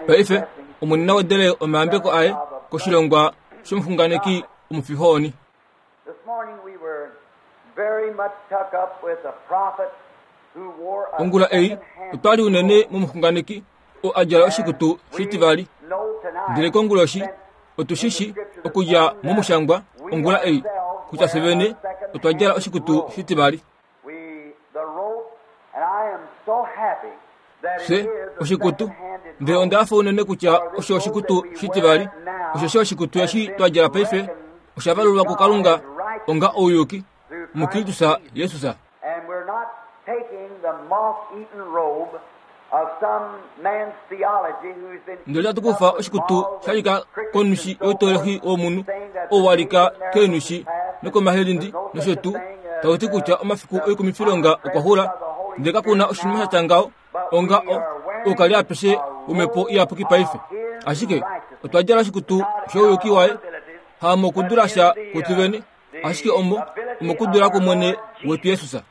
Paife Omwene na wedele omayambeko aye koshilongwa shomuxunganeki omufihoni. Ongula ei otwa li unene momuxunganeki oo a djala oshikutu shitivali. Ndele konguloshi otu shi shi okudja momushangwa ongula ei kutya fye vene otwa djala oshikutu shitivali. Fye oshikutu, ndele onda hafa unene kutya osho oshikutu shitivali, osheshi oshikutu eshi twa djala paife osha valulwa kuKalunga onga ouyuki muKristus Jesus. Ndele otatu kufa oshikutu sha lika konushi youtolehi womunhu ou wa lika keenushi nokomahelindi nosho tuu, tau ti kutya omafiku oikumifilonga okwa xula, ndele kaku na oshinima sha tya ngaho onga o, oukali apeshe womhepo iyapuki paife. Ashike otwa djala oshikutu shouyuki waye, hamokudula sha kwetu vene, ashike omo omokudula kwOmwene wetu Jesus.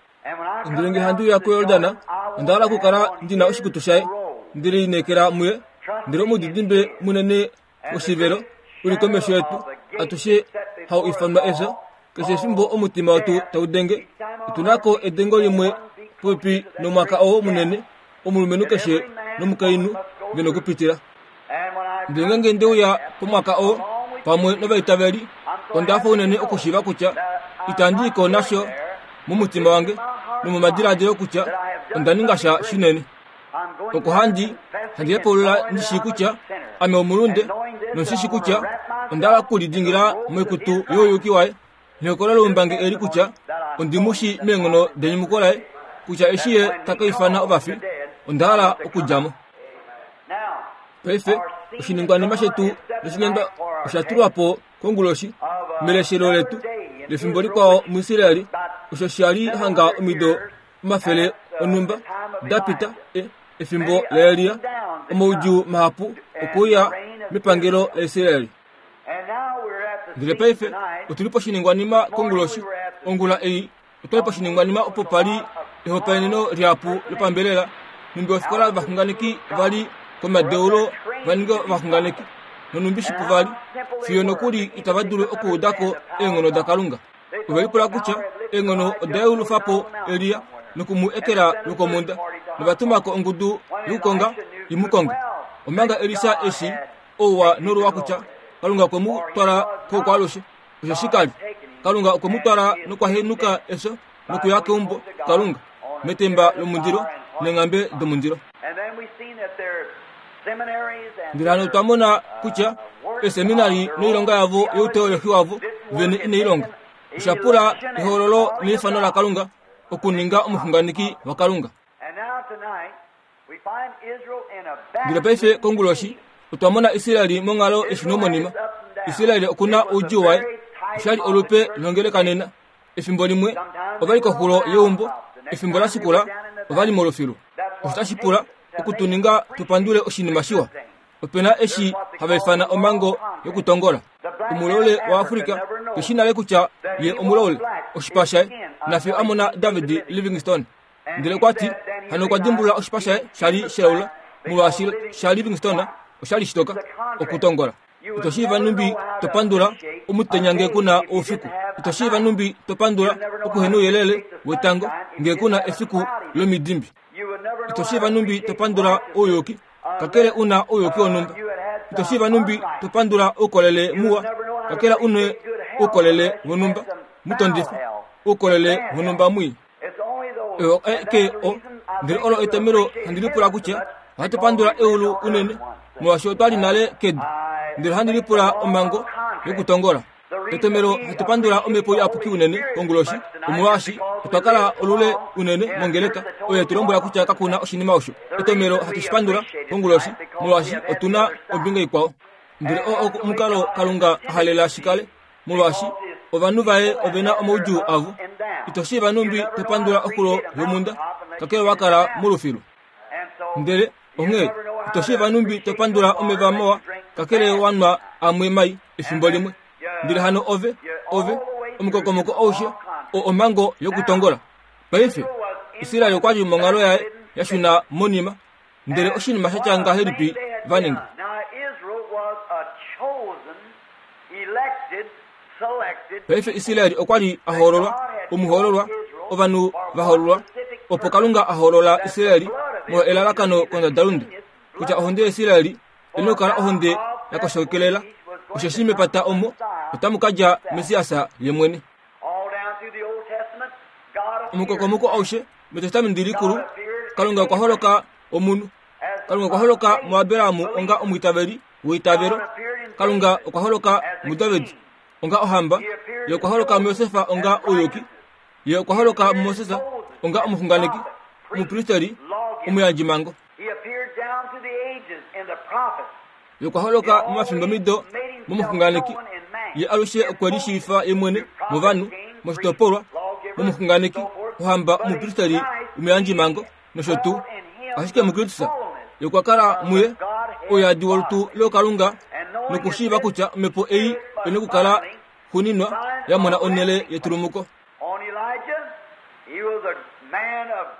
Ndele nge handi uya kuYordan, onda hala okukala ndi na oshikutu shaye, ndi lineekela muye. Ndele omudidimbe munene woshivelo u li komesho yetu atushe hau ifanwa efyo. Keshe efimbo omutima wetu tau denge, otu na ko edengo limwe popepi nomwaka oo munene omulumenhu keshe nomukainhu ve nokupitila. Ndele ngeenge nde uya pomwaka oo pamwe novaitaveli, onda hafa unene okushiiva kutya itandi i ko nasho momutima wange nomomadiladilo kutya onda ninga sha shinene. Oko handi handi hepaulula ndi shii kutya ame omulunde nondi shi kutya onda hala okulidingila moikutu youyuki waye. Nehokololo loumbangi eli kutya ondi mu shii meenghono denyumuko laye, kutya eshi ye ta ka ifana ovafi, onda hala okudja mo. Paife oshiningwanima shetu noshinyandwa osha tulwa po konguloshi meleshelo letu lefimbo likwao muIsraeli, osho sha li hanga omido omafele onhumba da pita, e, efimbo laElia, omaudjuu mahapu okuuya mepangelo laIsraeli. Ndele paife otu li poshiningwanima konguloshi. Ongula ei otwa li poshiningwanima opo pa li ehopaeneno lihapu lopambelela, nhumbi ofikola yovaxunganeki va li komadeulo va ninge ovaxunganeki, nonhumbi shipu va li, fiyo nokuli itava dulu okuuda ko eenghono daKalunga. Ove lipula kutya eenghono oda yeulufa po Elia noku mu ekela lwokomhunda, nova tuma ko ongudu yokukonga i mu konge. Omanga Elisa eshi ouwa noluwa kutya Kalunga okwe mu twala koukwaalushe, osheshi ka li Kalunga okwe mu twala nokwa henuka efyo nokuya keumbo Kalunga metemba lomundilo neenghambe domundilo. Ndele hano otwa mona kutya eeseminari noilonga yavo youteolohi wavo vene inai longa. Osha pula ehoololo neifano laKalunga okuninga omuxunganeki waKalunga. Ndele paife konguloshi otwa mona Israel monghalo yeshunomonima. Israel oku na oudjuu waye. Osha li olupe longeleka nena. Efimbo limwe ova li koxulo yeumbo, efimbo la shikula ova li molufilu. Osho tashi pula oku tu ninga tu pandule oshinima shiwa. Ope na eshi hava ifana omhango yokutongola. Omulaule waAfrika ke shi nale kutya ye omulaule, oshipa shaye, nafiyo a mona David Livingstone. Ndele okwa ti, hano okwa dimbulula oshipa shaye sha li shilaula, molwaashi shaLivingstone osha li shitoka, okutongola. Ito shiiva nhumbi to pandula omutenya nge ku na oufiku. Ito shiiva nhumbi to pandula okuhenouyelele wetango nge ku na efiku lomidimbi. Ito shiiva nhumbi to pandula ouyuki, kakele u na ouyuki wonhumba. Ito shiiva nhumbi to pandula oukolele muwa, kakele u na oukolele wonhumba mutondifa, oukolele wonhumba mwii. Ke o ndele olo etomelo handi lipula kutya ohatu pandula eulu unene molwaashi otwa li nale kedu ndele ohandi lipula omhango yokutongola etomelo hatu pandula omhepo iyapuki unene konguloshi omolwaashi otwa kala olule unene mongeleka oyo tu lombwela kutya kaku na oshinima osho etomelo hatu shi pandula konguloshi molwaashi otu na ombinga ikwao ndele oo omukalo kalunga a halela shi kale molwaashi ovanhu vaye ove na omaudjuu avo. Ito shiiva nhumbi to pandula oxulo yomhunda, kakele wa kala molufilu. Ndele onghee ito shiiva nhumbi to pandula omeva mawa, kakele wa nwa amwe mai efimbo limwe. Ndele hano ove, ove, omukokomoko aushe, o omhango yokutongola. Paife, Israel okwa li monghalo yaye ya shuna monima. Ndele oshinima sha tya ngahelipi va ninga? Paife Israel okwa li a hoololwa, omuhoololwa, ovanhu va hoololwa, opo Kalunga a hoolola Israel molwa elalakano kondadalunde, kutya ohonde yaIsrael oi na okukala ohonde ya koshokelela, osheshi mepata omo otamu ka dja Messias ye mwene. Omukokomoko aushe mEtestamenti Likulu, Kalunga okwa holoka omunhu. Kalunga okwa holoka muAbraham onga omwiitaveli weitavelo. Kalunga okwa holoka muDavid onga ohamba. Ye okwa holoka muJosef onga ouyuki. Ye okwa holoka muMoses onga omuxunganeki, omupristeri, omuyandjimhango. Ye okwa holoka momafimbomido momuxunganeki. Ye alushe okwe lishiivifa ye mwene movanhu, moshitopolwa, momuxunganeki, ohamba, omupristeri, omuyandjimhango, nosho tuu. Ashike muKristus, ye okwa kala muye, ouyadi wolutu lookalunga, nokushiiva kutya omhepo ei oi nokukala xuuninwa ya mona onhele yetulumuko.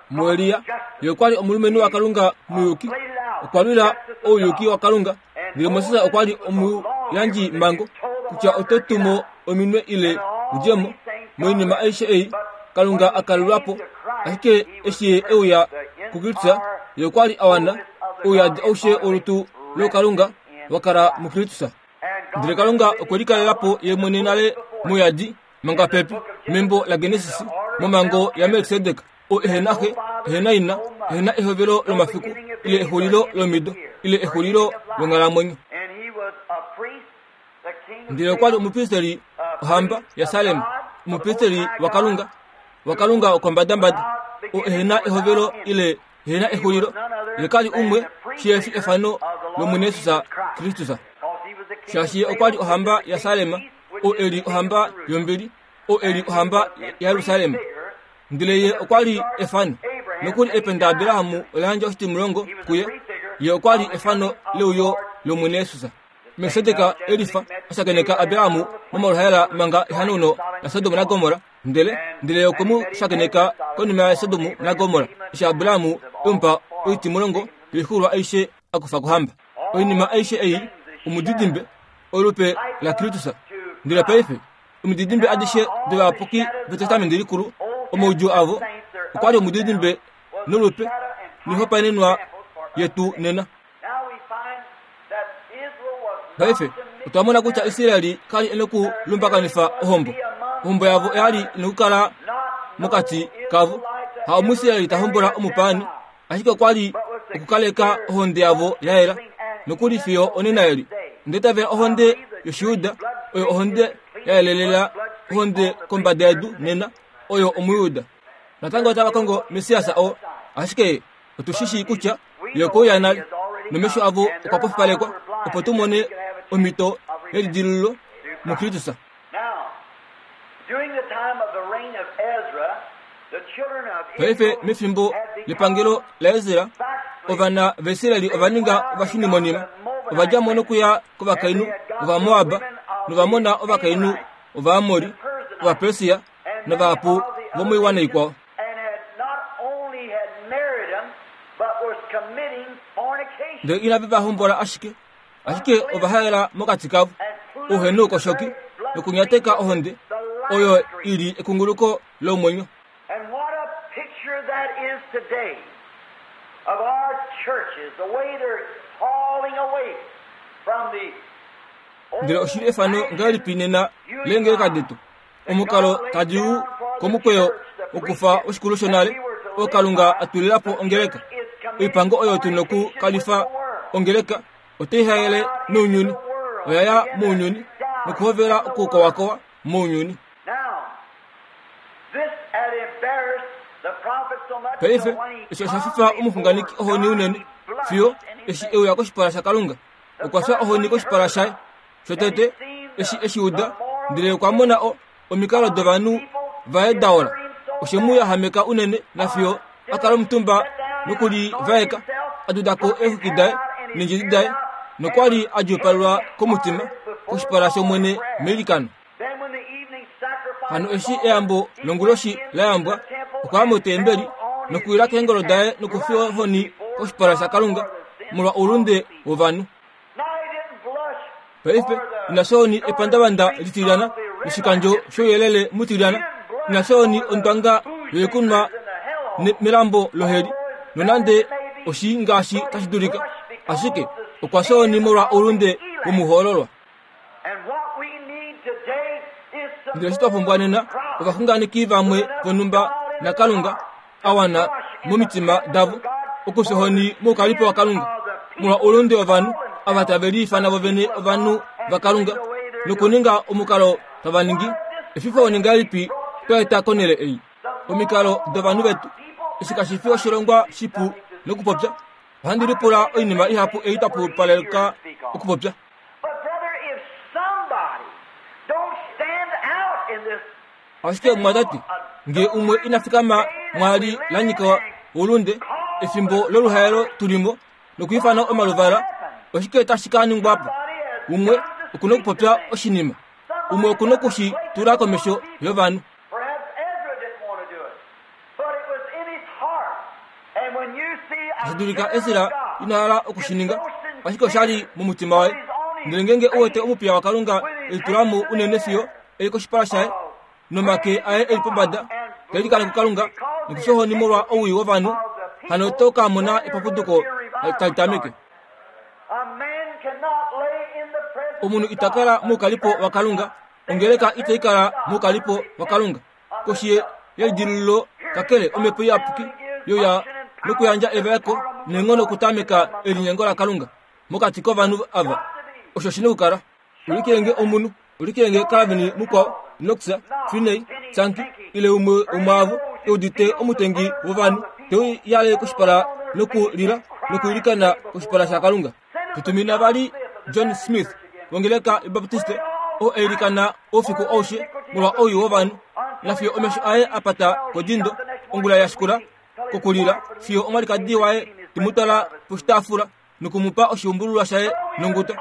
MuElia, ye okwa li omulumenhu waKalunga muyuki, okwa lwila ouyuki waKalunga. Ndele Moses okwa li omuyandjimhango kutya oto tumo ominwe ile udje mo moinima aishe ei Kalunga a kalelwa po. Ashike eshi ye e uya kuKristus, ye okwa li a wana ouyadi aushe wolutu lookalunga wa kala muKristus. Ndele Kalunga okwe likalela po ye mwene nale mouyadi manga pepi membo laGenesis momhango yaMelkisedek, oo ehe na xe, ehe na ina, ehe na ehovelo lomafiku ile exulilo lomido ile exulilo longhalamwenyo. Ndele okwa li omupristeri ohamba yaSalem, omupristeri waKalunga, waKalunga wokombadambada, oo ehe na ehovelo ile ehe na exulilo, ye ka li umwe shihe fi efano lOmwene Jesus Kristus. Shaashi ye okwa li ohamba yaSalem, oo e li ohamba yombili, oo e li ohamba yaJerusalem. Ndele ye okwa li efano. Nokuli ependa Abraham ola yandja oshitimulongo kuye. Ye okwa li efano leuyo lOmwene Jesus. Melkisedek e lifa a shakeneka Abraham momaluhaela manga ehanauno laSodom naGomorra, ndele ndele ye okwe mu shakeneka konima yaSodom naGomorra, eshi Abraham e mu pa oitimulongo yoixuulwa aishe a kufa kohamba. Oinima aishe ei omudidimbe, olupe laKristus. Ndele paife, omididimbe adishe dovayapuki vEtestamenti Likulu, omaudjuu avo okwa li omudidimbe nolupe noihopaenenwa yetu nena. Paife otwa mona kutya Israel ka li e nokulumbakanifa ohombo. Ohombo yavo oya li i nokukala mokati kavo. Ha Omuisrael ta hombola omupaani, ashike okwa li okukaleka ohonde yavo ya yela nokuli fiyo onena eli. Onda itavela ohonde yOshiyuda oyo ohonde ya yelelela ohonde kombada yedu nena oyo Omuyuda. Natango otava kongo Messias oo, ashike otu shi shii kutya ye okwe uya nale, nomesho avo okwa pofipalekwa opo tu mone omhito yelidilululo muKristus. Paife mefimbo lepangelo laEsra, ovana vaIsrael ova ninga ovashunimonima. Ova dja mo nokuya kovakainhu Ovamoab nova mona ovakainhu Ovaamori, Ovapersia navahapu vomoiwana ikwao. Ndele inave va hombola ashike, ashike ova haela mokati kavo ouhenoukoshoki nokunyateka ohonde oyo i li ekunguluko lomwenyo. Ndele oshi li efano ngahelipi nena leengeleka detu Omukalo tadi u komukweyo wokufa oshikulu shonale oo Kalunga a tulila po ongeleka. Oipango oyo tu noku kalifa ongeleka otai haele nounyuni. Oya ya mounyuni nokuhovela okukowakowa mounyuni. Paife eshi osha fifa omuxunganeki ohoni unene fiyo eshi e uya koshipala shaKalunga. Okwa fya ohoni koshipala shaye. Shotete, eshi e shi uda, ndele okwa mona o, omikalo dovanhu vaye da ola. Oshe mu yahameka unene nafiyo a kala omutumba nokulivaeka, a duda ko eexwiki daye neendjedi daye, nokwa li a djuupalelwa komutima koshipala shOmwene meilikano. Hano eshi eyambo longuloshi la yambwa, okwa ya motembeli nokuwila keengolo daye nokufiwa ohoni. koshipala shaKalunga molwa oulunde wovanhu. Paife ina shooni epandavanda litilyana noshikandjo shouyelele mutilyana, ina shooni ondwanga yoikunwa melambo loheli, nonande oshii ngaashi tashi dulika, ashike okwa shooni molwa oulunde womuhoololwa. Ndele eshi twa pumbwa nena ovaxunganeki vamwe vonhumba naKalunga a wana momitima davo okufyohoni moukalipo waKalunga molwa oulunde wovanhu ava tave liifana vovene ovanhu vaKalunga nokuninga omukalo tava ningi. Efifo ngahelipi twa eta konhele ei omikalo dovanhu vetu? Eshi kashi fi oshilongwa shipu nokupopya. Ohandi lipula oinima ihapu ei twa pupaleka okupopya. Ashike omumwatate, nge umwe ina fikama mwaali la nyika oulunde, efimbo loluhaelo tu li mo, nokwiifana omaluvala, oshike tashi ka ningwa po? Umwe oku na okupopya oshinima. Umwe oku na oku shi tula komesho yovanhu. Tashi dulika Esra ina hala oku shi ninga, ashike osha li momutima waye. Ndele ngeenge u wete omupiya waKalunga e litula mo unene fiyo e li koshipala shaye, nomake aye e li pombada, ta ilikana kuKalunga nokufyohoni molwa owii wovanhu, hano oto ka mona epapuduko tali tameke. Omunhu ita kala moukalipo waKalunga, ongeleka itai kala moukalipo waKalunga. Koshi yelidilululo kakele omhepo iyapuki yoya nokuyandja evaeko neenghono okutameka elinyengo laKalunga mokati kovanhu ava. Osho shi na okukala. Ulikilenge omunhu, ulikilenge Calvin mukwao, Knox, Finney, Sankey, ile umwe womwaavo e udite omutengi wovanhu te uyale koshipala nokulila nokwiilikana koshipala shaKalunga. Tutumina vali John Smith wongeleka yObaptiste oo a ilikana oufiku aushe molwa owii wovanhu, nafiyo omesho aye a pata kodindo ongula ya shikula kokulila fiyo omwalikadi waye te mu twala poshitaafula noku mu pa oshiumbululwa shaye nonguto.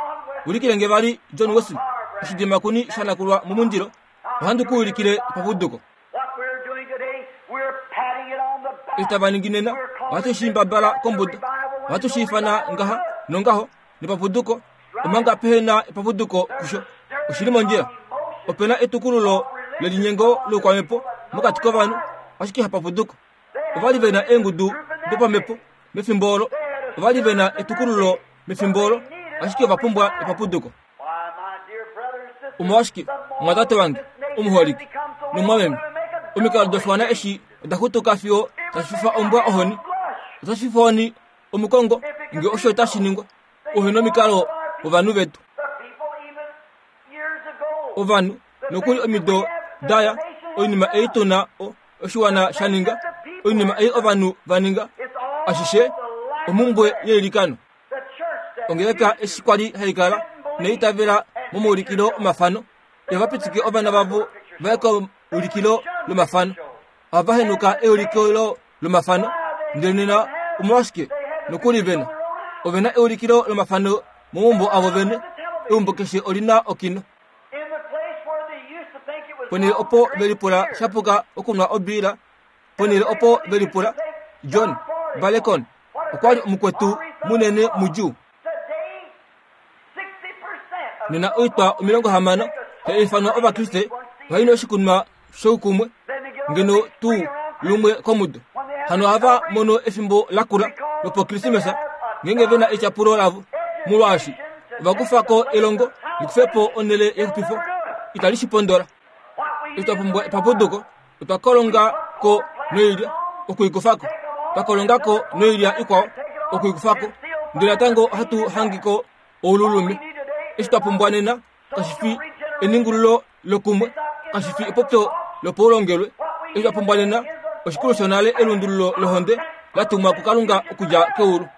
Ulikile nge vali John Wesley, oshidimakuni sha nakulwa momundilo, ohandi ku ulikile epapuduko. Eshi tava ningi nena, ohatu shi mbabala kombuda, ohatu shi ifana ngaha nongaho, nepapuduko, omanga pehe na epapuduko kusho. Oshi li mondjila. Ope na etukululo lelinyengo loukwamhepo mokati kovanhu, ashike hapapuduko. Ova li ve na eengudu dopamhepo mefimbo olo, ova li ve na etukululo mefimbo olo, ashike ova pumbwa epapuduko. Omolwashike, omwatate wange omuholike nomwameme, omikalo doshiwana eshi oda xutuka fiyo tashi fifa ombwa ohoni. Otashi fifa ohoni omukongo nge osho otashi ningwa. Ohe nomikalo wovanhu vetu. Ovanhu, nokuli omido daya, oinima ei tu na oshiwana sha ninga, oinima ei ovanhu va ninga, ashishe omhumbwe yeilikano. Ongeleka eshi kwa li hai kala neitavela momaulikilo omafano, ihava pitike ovana vavo va ye keulikilo lomafano. Ohava henuka eulikilo lomafano, ndele nena omolwashike nokuli ve na? Ove na eulikilo lomafano momaumbo avo vene. Eumbo keshe oli na okino. Ponhele opo ve lipula sha puka okunwa obiila, ponhele opo ve lipula, John Balekon okwa li omukwetu munene mudjuu. Nena oitwa 60 tai ifanwa Ovakriste ohai nu oshikunwa shoukumwe ngeno tuu lumwe komudo. Hano ohava mono efimbo lakula lopokrismesa ngeenge ve na etyapulo lavo, molwaashi ova kufa ko elongo li kufe po onhele yexupifo. Itali shi pondola. Eshi twa pumbwa epapuduko, otwa kolonga ko noilya oku i kufa ko, twa kolonga ko noilya ikwao oku i kufa ko, ndele natango ohatu hangi ko oululume. Eshi twa pumbwa nena kashi fi eningululo lokumwe, kashi fi epopyo lopaulongelwe. Eshi twa pumbwa nena oshikulu shonale elundululo lohonde la tumwa kuKalunga okudja keulu.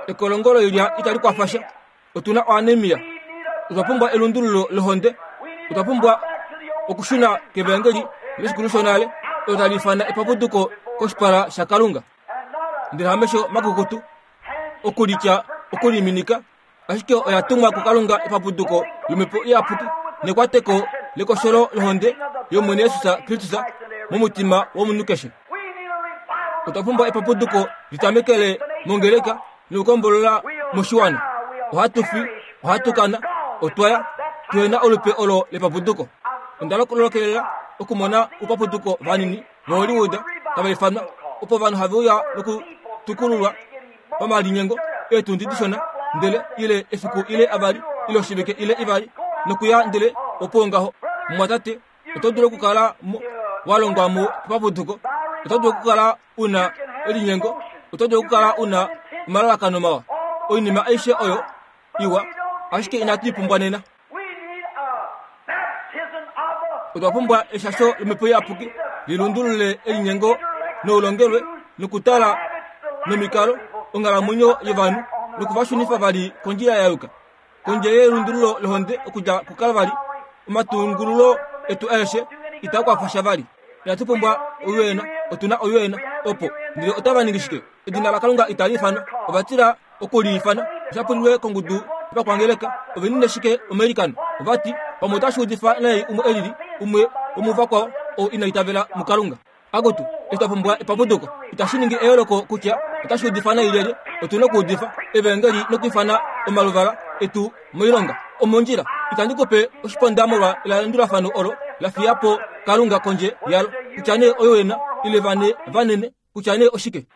Ekolongo loilya itali kwafa sha. Otu na oanemia. Otwa pumbwa elundululo lohonde. Otwa pumbwa okushuna kevaengeli leshikulu shonale olo tali ifana epapuduko koshipala shaKalunga. Ndele hamesho makukutu okulitya okuliminika, ashike oya tumwa kuKalunga epapuduko lomhepo iyapuki nekwateko lekosholo lohonde yOmwene Jesus Kristus momutima womunhu keshe. Otwa pumbwa epapuduko litamekele mongeleka nokukombolola moshiwana. Ohatu fi, ohatu kana, otwa ya, tuhe na olupe olo lepapuduko. Onda lolokelela okumona oupapuduko vanini voHollywood tava ifanwa, opo ovanhu have uya nokutukululwa pamalinyengo eetundi dishona, ndele ile efiku ile avali ile oshivike ile ivali, nokuya ndele opo ngaho. Mumwatate, oto dulu okukala wa longwa mo papuduko, oto dulu okukala u na elinyengo, oto dulu okukala u na omalalakano mawa, oinima aishe oyo iwa, ashike inatu i pumbwa nena. Otwa pumbwa eshasho lomhepo iyapuki li lundulule elinyengo noulongelwe nokutala nomikalo onghalamwenyo yovanhu noku va shunifa vali kondjila ya yuka. Kondje yelundululo lohonde okudja kuKalvari, omatungululo etu aeshe itaa kwafa sha vali. Inatu pumbwa ouyena, otu na ouyena opo. Ndele otava ningi shike? Edina laKalunga itali ifanwa. Ova tila oku li ifana. Osha pulilwe kongudu yovakwangeleka. Ove nine shike omailikano? Ova ti, Pamwe otashi udifa nai umwe e lili, umwe womuvakwao oo ina itavela muKalunga. Akutu, eshi twa pumbwa epapuduko. Itashi ningi eyooloko kutya otashi udifa nai lyelye, otu na okuudifa Evaengeli nokwiifana omaluvala etu moilonga. Omondjila, itandi ku pe oshiponda molwa elandulafano olo la fiya po Kalunga kondje yalo, kutya nee oyoena ile vane vanene, kutya nee oshike.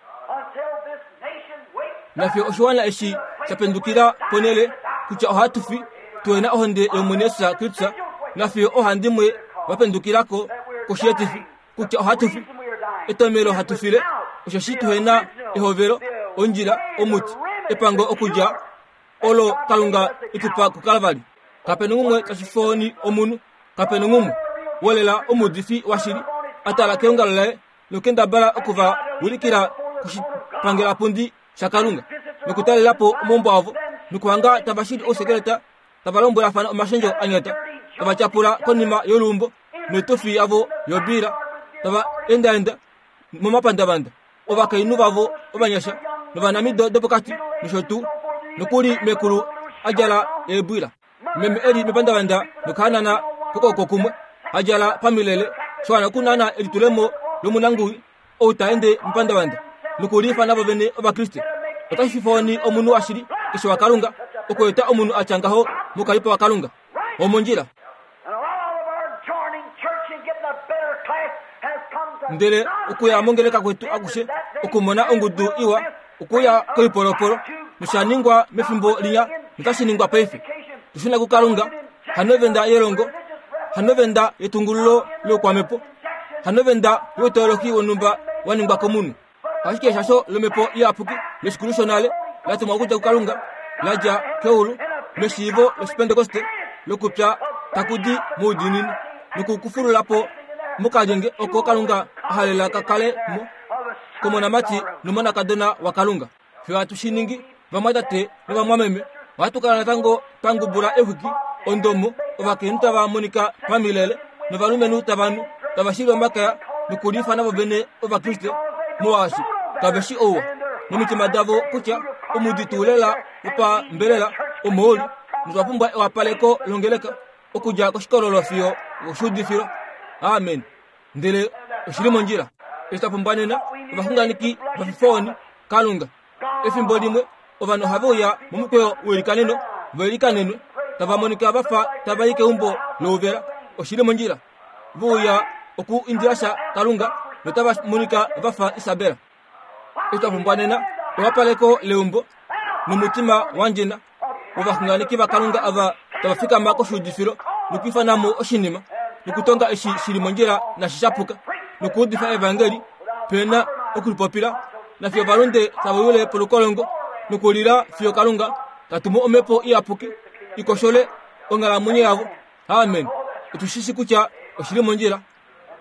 Nafye oshiwana eshi sha pendukila ponhele kutya ohatu fi, tu na ohonde yOmwene Jesus Kristus, nafye ohandimwe va pendukilako koshietifi kutya ohatu fi. Etomelo hatu file osheshi tuhe na ehovelo, ondjila, omuti, epango okudja olo Kalunga e tu pa kuKalvari. Kape na umwe tashi fooni omunhu, kape na umwe wolela omuudifi washili a tala keongalo laye nokendabala oku va ulikila koshipangelapundi shaKalunga nokutalela po omaumbo avo nokuhanga tava shili ousekeleta tava lombwelafana omashendjo a nyata tava tyapula konima yoluumbo noitufi yavo yobiila tava endaenda momapandavanda ovakainhu vavo ovanyasha novanamido dopokati nosho tuu nokuli mekulu a djala eebwila Meme e li mepandavanda nokahanana kokooko kumwe, a djala pamilele, sha wana okunana elitulemo lomunanguwi ou ta ende mepandavanda nokuliifana vo vene Ovakriste. Otashi fifa ohoni omunhu washili keshe waKalunga okweeta omunhu a tya ngaho mokalipo waKalunga womondjila. Ndele okuya mongeleka kwetu akushe okumona ongudu iwa okuya koipolopolo nosha ningwa mefimbo linya notashi ningwa paife. Tushuna kuKalunga, hanovenda yelongo, hanovenda yetungululo loukwamhepo, hanovenda youtoloki wonhumba wa ningwa komunhu. Ashike eshasho lomhepo iyapuki leshikulu shonale la tumwa okudja kuKalunga, la dja keulu meshiivo lOshipentekoste lokupya taku di moudiinini nokukufulula po mokalyenge oko Kalunga a halela ka kale mo komonamati nomonakadona waKalunga. Fye ohatu shi ningi, vamwatate novamwameme. Ohatu kala natango twa ngubula exwiki ondomo, ovakainhu tava monika pamilele novalumenhu tava nu, tava shili omakaya nokuliifana vo vene Ovakriste, molwaashi kave shi ouwa momitima davo kutya omudi tuu lela wopambelela omo u li, notwa pumbwa ewapaleko longeleka okudja koshikololo fiyo okoshuudifilo. Amen. Ndele oshi li mondjila. Eshi twa pumbwa nena ovaxunganeki vafifooni, Kalunga. Efimbo limwe ovanhu ohave uya momukweyo weilikaneno va ilikanenwe, tava monika va fa tava i keumbo louvela. Oshi li mondjila. Ve uya oku indila sha Kalunga notava monika va fa Isabel. Eshi twa pumbwa nena ewapaleko leumbo nomutima wa ndjena wovaxunganeki vaKalunga ava tava fikama koshuudifilo nokuifana mo oshinima nokutonga eshi shi li mondjila nashi sha puka nokuudifa evangeli pe na okulipopila nafiyo ovalunde tava wile polukolongo nokulila fiyo Kalunga ta tumu omhepo iyapuki i koshole onghalamwenyo yavo. Amen. Otu shi shi kutya oshi li mondjila.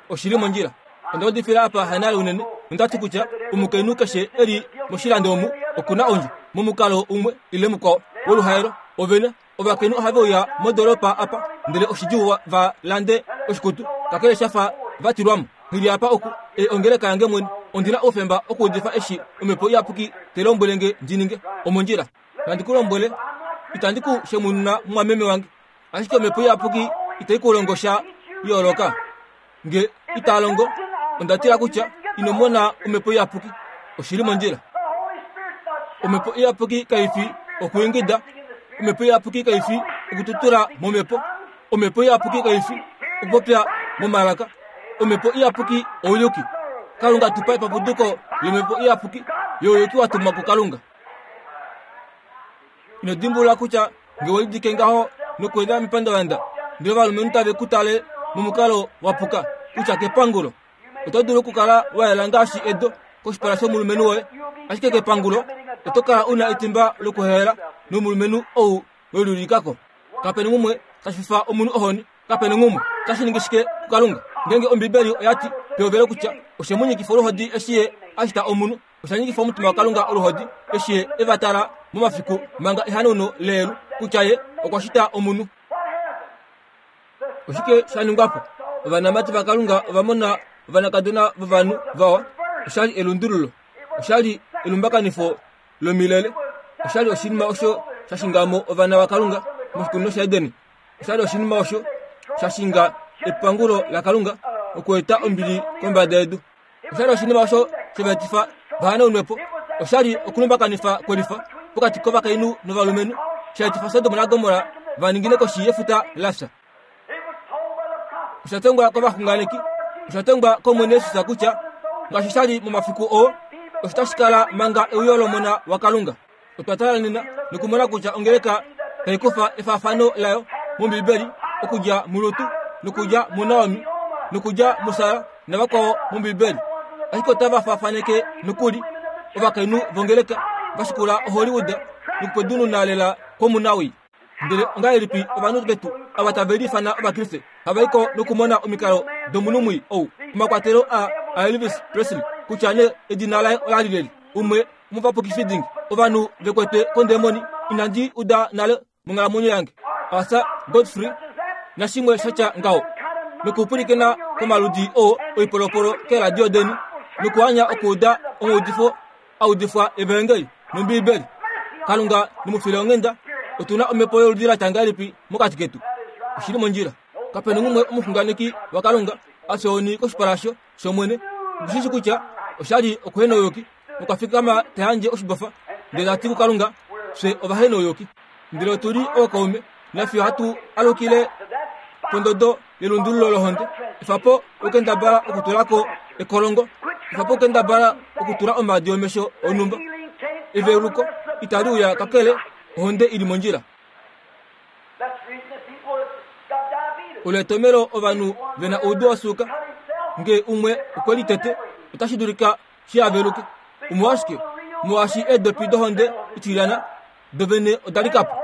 Oshi li mondjila. Onda udifila apa hanale unene, nonda ti kutya omukainhu keshe e li moshilando omu oku na ondjo, momukalo umwe ile mukwao woluhaelo. Ove na ovakainhu ohave uya modoolopa apa, ndele oshidjuu va lande oshikutu, kakele sha fa va tilwa mo. Nghi li apa oku, ei ongeleka yange mwene. Ondi na oufemba okuudifa eshi Omhepo Iyapuki tai lombwele nge ndi ninge. Omondjila. Nandi ku lombwele, itandi ku shemununa mumwameme wange. Ashike omhepo iyapuki itai ku longo sha yooloka. Nge itaa longo, onda tila kutya Ino mona Omhepo Iyapuki. Oshi li mondjila. Omhepo Iyapuki kai fi okuingida. Omhepo Iyapuki kai fi okututula momhepo. Omhepo Iyapuki kai fi okupopya momalaka. Omhepo Iyapuki ouyuki. Kalunga tu pa epapuduko lOmhepo Iyapuki youyuki wa tumwa kuKalunga. Ino dimbulula kutya nge we lidike ngaho nokweenda mepandavanda ndele ovalumenhu tave ku tale momukalo wa puka kutya kepangulo oto dulu okukala wa yela ngaashi edo koshipala shomulumenhu woye, ashike kepangulo oto kala u na etimba lokuhehela nomulumenhu ou we liulikako. Kape na umwe tashi fifa omunhu ohoni, kape na umwe tashi ningi shike kuKalunga. Ngeenge Ombibeli oya ti pehovelo kutya oshe mu nyikifa oluhodi eshi ye a shita omunhu, osha nyikifa omutima waKalunga oluhodi eshi ye e va tala momafiku manga ehanauno leyelu kutya ye okwa shita omunhu. Oshike sha ningwa po? Ovanamati vaKalunga ova mona ovanakadona vovanhu vawa. Osha li elundululo. Osha li elumbakanifo lomilele. Osha li oshinima osho sha shinga mo ovana vaKalunga moshikunino shaEden. Osha li oshinima osho sha shinga epangulo laKalunga okweeta ombili kombada yedu. Osha li oshinima osho she va etifa va hanaunwe po. Osha li okulumbakanifa kwelifa pokati kovakainhu novalumenhu, sha etifa Sodom naGomorra va ningine koshi yefuta la fya. Osha tongwa kovaxunganeki, osha tongwa kOmwene Jesus kutya ngaashi sha li momafiku oo, osho tashi kala manga euyo lOmona waKalunga. Otwa tala nena nokumona kutya ongeleka tai kufa efaafano layo mOmbibeli okudja muRut nokudja muNaomi nokudja muSara navakwao mOmbibeli. Ashike otava faafaneke nokuli ovakainhu vongeleka va shikula oHollywood nokupwedununa lela kwomunawii. Ndele ongahelipi ovanhu vetu ava tave liifana Ovakriste hava i ko nokumona omikalo domunhu mwii ou, omakwatelo a aElvis Presley, kutya nee edina laye ola li leli, umwe womovapukifi dingi, ovanhu ve kwetwe kondemoni inandi uda nale monghalamwenyo yange, Arthur Godfrey nashimwe sha tya ngaho, nokupwilikina komaludi oo oipolopolo keeradio deni, nokuanya okuuda omaudifo a udifwa evaengeli nOmbiibeli. Kalunga ne mu file onghenda. Otu na omhepo yoludi la tya ngahelipi mokati ketu? Oshi li mondjila. Kape na umwe omuxunganeki waKalunga a fya ohoni koshipala shOmwene. Oku shi shii kutya osha li okuhenouyuki nokwa fikama ta yandje oshibofa ndele ta ti kuKalunga, Fye ovahenouyuki, ndele otu li ookaume, nafye ohatu alukile pondodo yelundululo lohonde. Efa po okukendabala okutula ko ekolongo. Efa po okukendabala okutula omaadi omesho onhumba. Eveluko itali uya kakele ohonde i li mondjila. Olo etomelo ovanhu ve na oudu wa suuka. Nge umwe okwe litete, otashi dulika shi aveluke. Omolwashike? Molwaashi eedopi dohonde itilyana dovene oda lika po.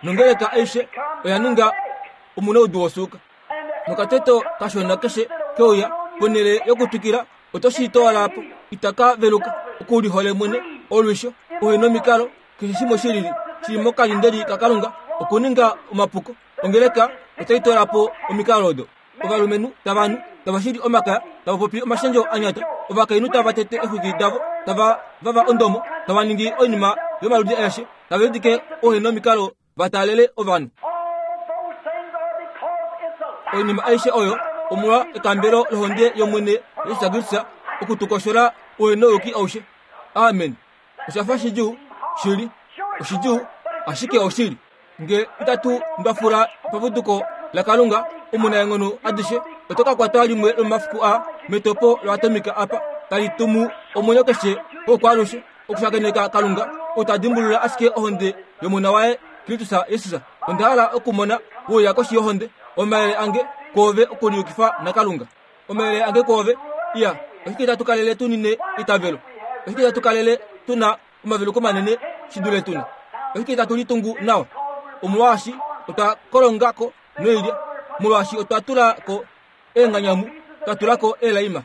Nongeleka aishe oya ninga omunaudu wosuuka. Nokateto kashona keshe keuya ponhele yokutwikila oto shi toola po. Itaka veluka. Oku lihole mwene, olwisho, ouhenomikalo, keshe shimwe shi lili shili mokalindeli kaKalunga, okuninga omapuko. Ongeleka otai toola po omikalo odo. Ovalumenhu tava nu, tava shili omakaya, tava popi omashendjo a nyata, ovakainhu tava tete exwiki davo, tava vava ondomo, tava ningi oinima yomaludi aeshe, tava udike ouhenomikalo va taalele ovanhu. Oinima aishe oyo omolwa ekambelo lohonde yOmwene Jesus Kristus oku tu koshola ouhenouyuki aushe. Amen. Osha fa shidjuu shili, oshidjuu, ashike oshili. Nge itatu ndwafula paputuko laKalunga omunaenghono adishe, oto ka kwatwa limwe lomomafiku aa metopo loatomika apa tali tumu omwenyo keshe wokwaalushe okushakeneka Kalunga ou ta dimbulula ashike ohonde yOmona waye Kristus Jesus. Onda hala okumona we uya koshi yohonde. Omayele ange kwoove okuliyukifa naKalunga. Omayele ange kwoove, iya, oshike itatu kalele tu nine eitavelo? Oshike itatu kalele tu na omaveluko manene shi dule tu na? Oshike itatu litungu nawa? Omolwaashi otwa kolonga ko noilya, molwaashi otwa tula ko eenganyamu, twa tula ko eelaima.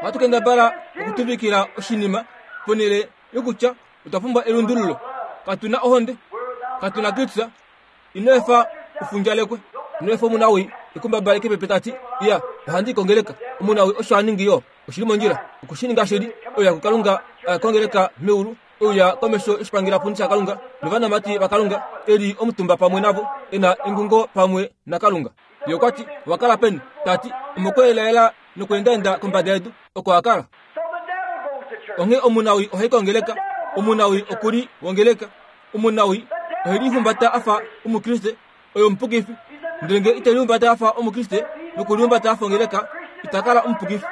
Ohatu kendabala okutuvikila oshinima ponhele yokutya otwa pumbwa elundululo. Katu na ohonde, katu na Kristus. Ino efa u fundjalekwe. Ino efa omunawii e ku mbabaleke pepe ta ti, Iya, ohandi i kongeleka. Omunawii osho a ningi yo. Oshi li mondjila oku shi ninga shili. Oya kuKalunga, oya kongeleka meulu, ouya komesho yoshipangelapundi shaKalunga novanamati vaKalunga, e li omutumba pamwe navo, e na engungo pamwe naKalunga. Ye okwa ti, Owa kala peni? Ta ti, Omokweelaela. nokweendaenda kombada yedu, oko a kala. Onghee omunawii ohai kongeleka, omunawii oku li wongeleka, omunawii ohe lihumbata a fa Omukriste, oye omupukifi. Ndele ngee ite lihumbata a fa Omukriste nokulihumbata a fa ongeleka, ita kala omupukifi.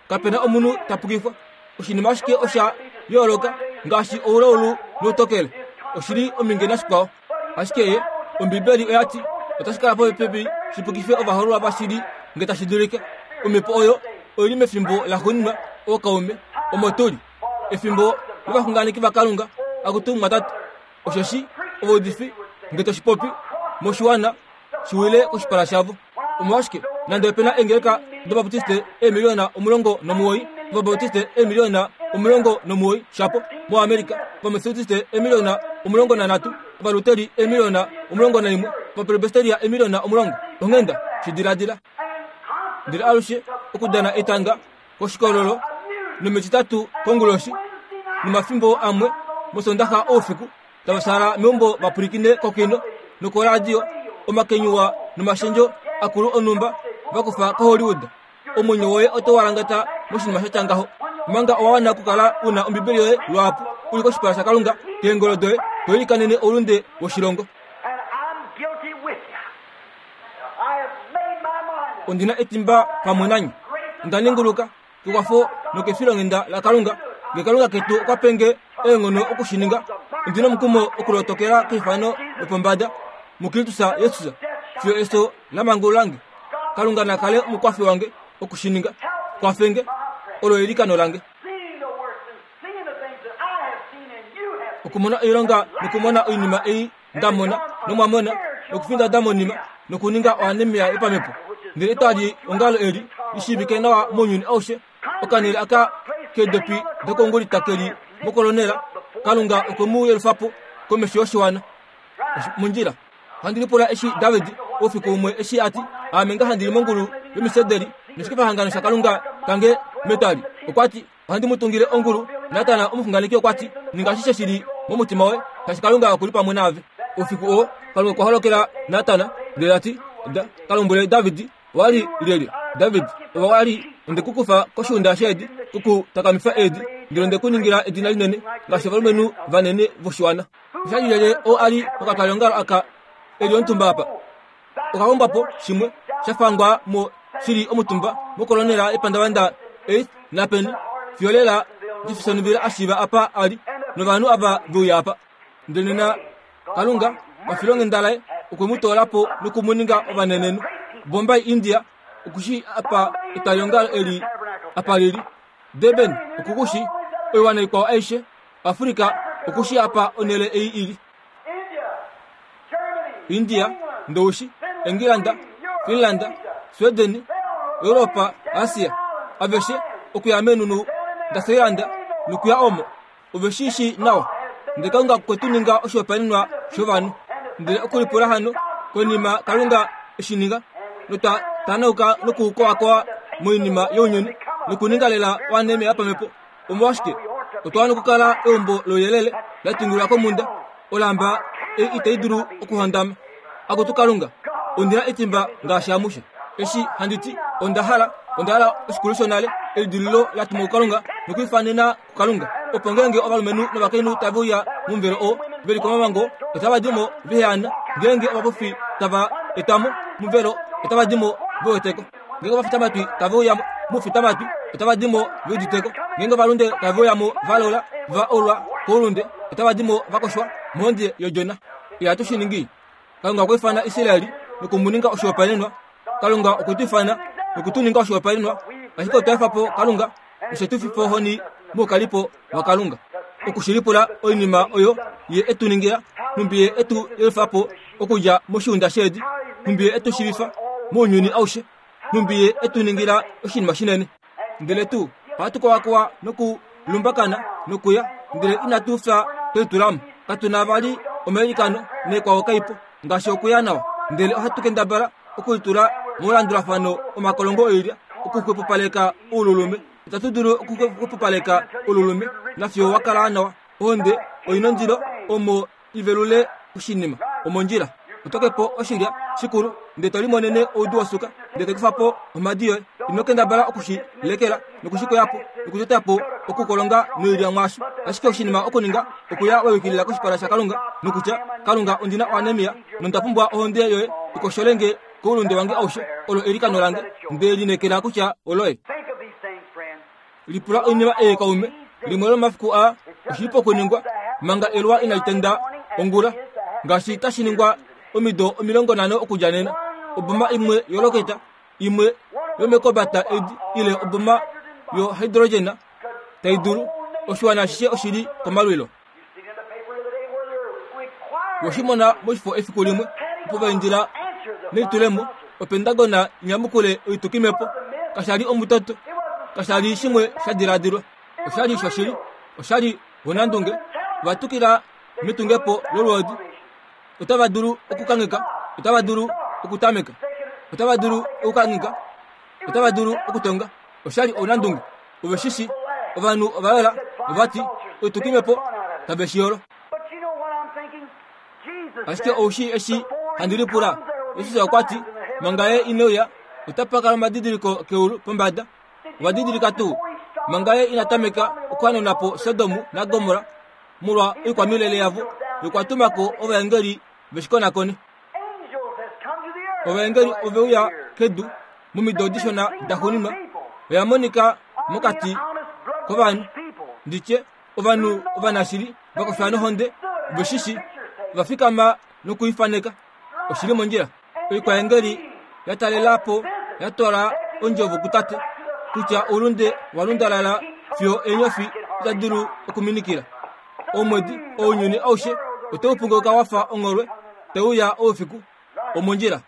Kape na omunhu ta pukifwa. Oshinima ashike osha yooloka ngaashi oulaulu noutokele, oshi li ominge nashikwao. Ashike ye, Ombibeli oya ti, otashi kala popepi shi pukife ovahoololwa vashili nge tashi dulika. Omhepo oyo oi li mefimbo laxuuninwa, ookaume, omo tu li. Efimbo lovaxunganeki vaKalunga, akutu mumwatate, osheshi ovaudifi, nge to shi popi, moshiwana, shi wile koshipala shavo. Omolwashike, nande ope na eengeleka dObaptiste eemiliona 19, Ovabautiste eemiliona 19 shapo, moAmerica, Ovamethodiste eemiliona 13, Ovaluteri eemiliona 11, Ovapresbiteria eemiliona 10. Onghenda, shi diladila. Ndele alushe okudana etanga koshikololo nomEtitatu konguloshi nomafimbo amwe mOsondaxa oufiku tava fyaala meumbo va pwilikine kokino nokoradio omakenyuwa nomashendjo akulu onhumba va kufa koHollywood. Omwenyo woye oto walangata moshinima sha tya ngaho omanga owa wana okukala u na Ombibeli yoye lwaapo u li koshipala shaKalunga keengolo doye to ilikanene oulunde woshilongo. Ondi na etimba pamwe nanye. Onda ninguluka kekwafo nokefilonghenda laKalunga. Nge Kalunga ketu okwa pe nge eenghono oku shi ninga, ondi nomukumo okulotokela keifano lopombada muKristus Jesus fiyo efyo la mangulula nge. Kalunga na kale omukwafi wange oku shi ninga. Kwafe nge. Olo eilikano lange. Okumona oilonga nokumona oinima ei nda mona nomwa mona nokufinda da monima nokuninga oanemia yopamhepo. Ndele etwali ongalo eli li shiivike nawa mounyuni aushe, okanhele aka keedopi dokongulita ke li mokolonela, Kalunga okwe mu yelufa po komesho yoshiwana. Mondjila. Ohandi lipula eshi David oufiku umwe eshi a ti, Aame nga handi li mongulu yomisederi noshikefahangano shaKalunga kange metwali. Okwa ti, Ohandi mu tungile ongulu. Natan omuxunganeki okwa ti, Ninga ashishe shi li momutima woye, shaashi Kalunga oku li pamwe naave. Oufiku oo, Kalunga okwa holokela Natan, ndele ta ti, Da ka lombwele David, Owa li lyelye, David? Ove wa li onde ku kufa koshiunda sheedi, ku ku takamifa eedi, ndele onde ku ningila edina linene ngaashi ovalumenhu vanene voshiwana. Osha li lyelye oo a li mokatwalyeongalo aka e li omutumba apa? Okahombwa po shimwe sha fangwa mo shi li omutumba mokolonela yepandavanda Eighth naPenny fiyo lela Jeffersonville a shiiva apa a li novanhu ava ve uya apa. Ndele nena Kalunga pafilonghenda laye okwe mu toola po noku mu ninga ovanenenhu. Bombay, India oku shii apa etwaliongalo eli apa li li. Durban oku ku shii. Oiwana ikwao aishe, Afrika oku shii apa onhele ei i li. India, Ndoushi, Engilanda, Finland, Sweden, Europa, Asia, aveshe okuya meenhunhu daSeilanda nokuya omo. Ove shi shii nawa. Ndele Kalunga okwe tu ninga oshihopaenenwa shovanhu. Ndele okulipula hano, konima Kalunga e shi ninga, notwa tanauka nokukowakowa moinima younyuni, nokuninga lela oanemia yopamhepo, Omolwashike otwa wana okukala eumbo louyelele la tungilwa komhunda, olamba ei itai dulu okuhondama? Akutu Kalunga, ondi na etimba ngaashi amushe. Eshi handi ti, onda hala, onda hala oshikulu shonale, elidililo la tumwa kuKalunga nokwiifanena kuKalunga, opo ngeenge ovalumenhu novakainhu tave uya momuvelo oo ve li komamango, otava di mo ve heana, ngeenge ovapofi tava etwa mo momuvelo, otava di mo ve wete ko. Ngeenge ovafitamatwi tave uya moufitamatwi, otava di mo ve udite ko. Ngeenge ovalunde tave uya mo va lola, va olwa koulunde, otava di mo va koshwa mohonde yOdjona. Ihatu shi ningi. Kalunga okwa ifana Israel noku mu ninga oshihopaenenwa. Kalunga okwe tu ifana noku tu ninga oshihopaenenwa, ashike otwa efa po Kalunga noshe tu fifa ohoni moukalipo waKalunga. Oku shi lipula oinima oyo Ye e tu ningila, nhumbi Ye e tu yelufa po okudja moshiunda sheedi, nhumbi Ye e tu shiivifa mounyuni aushe, nhumbi Ye e tu ningila oshinima shinene. Ndele tu ohatu kowakowa nokulumbakana nokuya, ndele inatu fya twe litula mo. Katu na vali omailikano naikwao kai po, ngaashi okuya nawa, ndele ohatu kendabala okulitula molandulafano omakolongo oilya okuxwepopaleka oululume. Itatu dulu okuxwepopaleka oululume nafiyo wa kala nawa. Ohonde oi nondilo omo i velule oshinima omondjila. Oto ke po oshilya shikulu, ndele to limonene oudu wosuka, ndele to kufa po omhadi yoye. Ino kendabala oku shi lekela noku shi koya po nokutota po okukolonga noilya mwaasho. Ashike oshinima okuninga okuya wa yukilila koshipala shaKalunga nokutya, Kalunga, ondi na oanemia nonda pumbwa ohonde yoye i koshole nge koulunde wange aushe. Olo eilikano lange. Nde lineekela kutya oloye. Lipula oinima ei kaume. Limwe lomomafiku aa oshi li pokuningwa manga eluwa inali tenda ongula, ngaashi tashi ningwa omido 50 okudja nena. Oboma imwe yoloketa, imwe yomekobata edi ile oboma yohydrogena tai dulu, oshiwana ashishe oshi li komalwilo. We shi mona moshifo efiku limwe opo va indila nelitulemo Opentagona nyamukule oitukimhepo. Kasha li omutoto, kasha li shimwe sha diladilwa. Osha li shoshili, osha li onandunge. Ova tukila metungepo lolwoodi. Otava dulu okukangheka, otava dulu okutameka, otava dulu okukangheka, otava dulu okutonga. Osha li ounandunge. Ove shi shi. Ovanhu ova yola nova ti, Oitukimhepo tave shi yolo. Ashike ou shii eshi handi lipula? Jesus okwa ti, Manga Ye ine uya, otapa kala omadidiliko keulu pombada. Ova didilika tuu? Manga Ye ina tameka okuhanena po Sodom naGomorra molwa oikwamilele yavo, Ye okwa tuma ko ovaengeli ve shi konakone. Ovaengeli ove uya kedu momido dishona daxuuninwa, oya monika mokati kovanhu, ndi tye, ovanhu ovanashili va kofya nohonde, ve shi shi, ova fikama nokuifaneka. Oshi li mondjila. Oikwaengeli ya talela po ya twala ondjovo kuTate kutya oulunde wa lundalala fiyo eenyofi ita dulu okuminikila. Omwedi, ounyuni aushe otau punguluka wa fa ongholwe tau uya oufiku. Omondjila.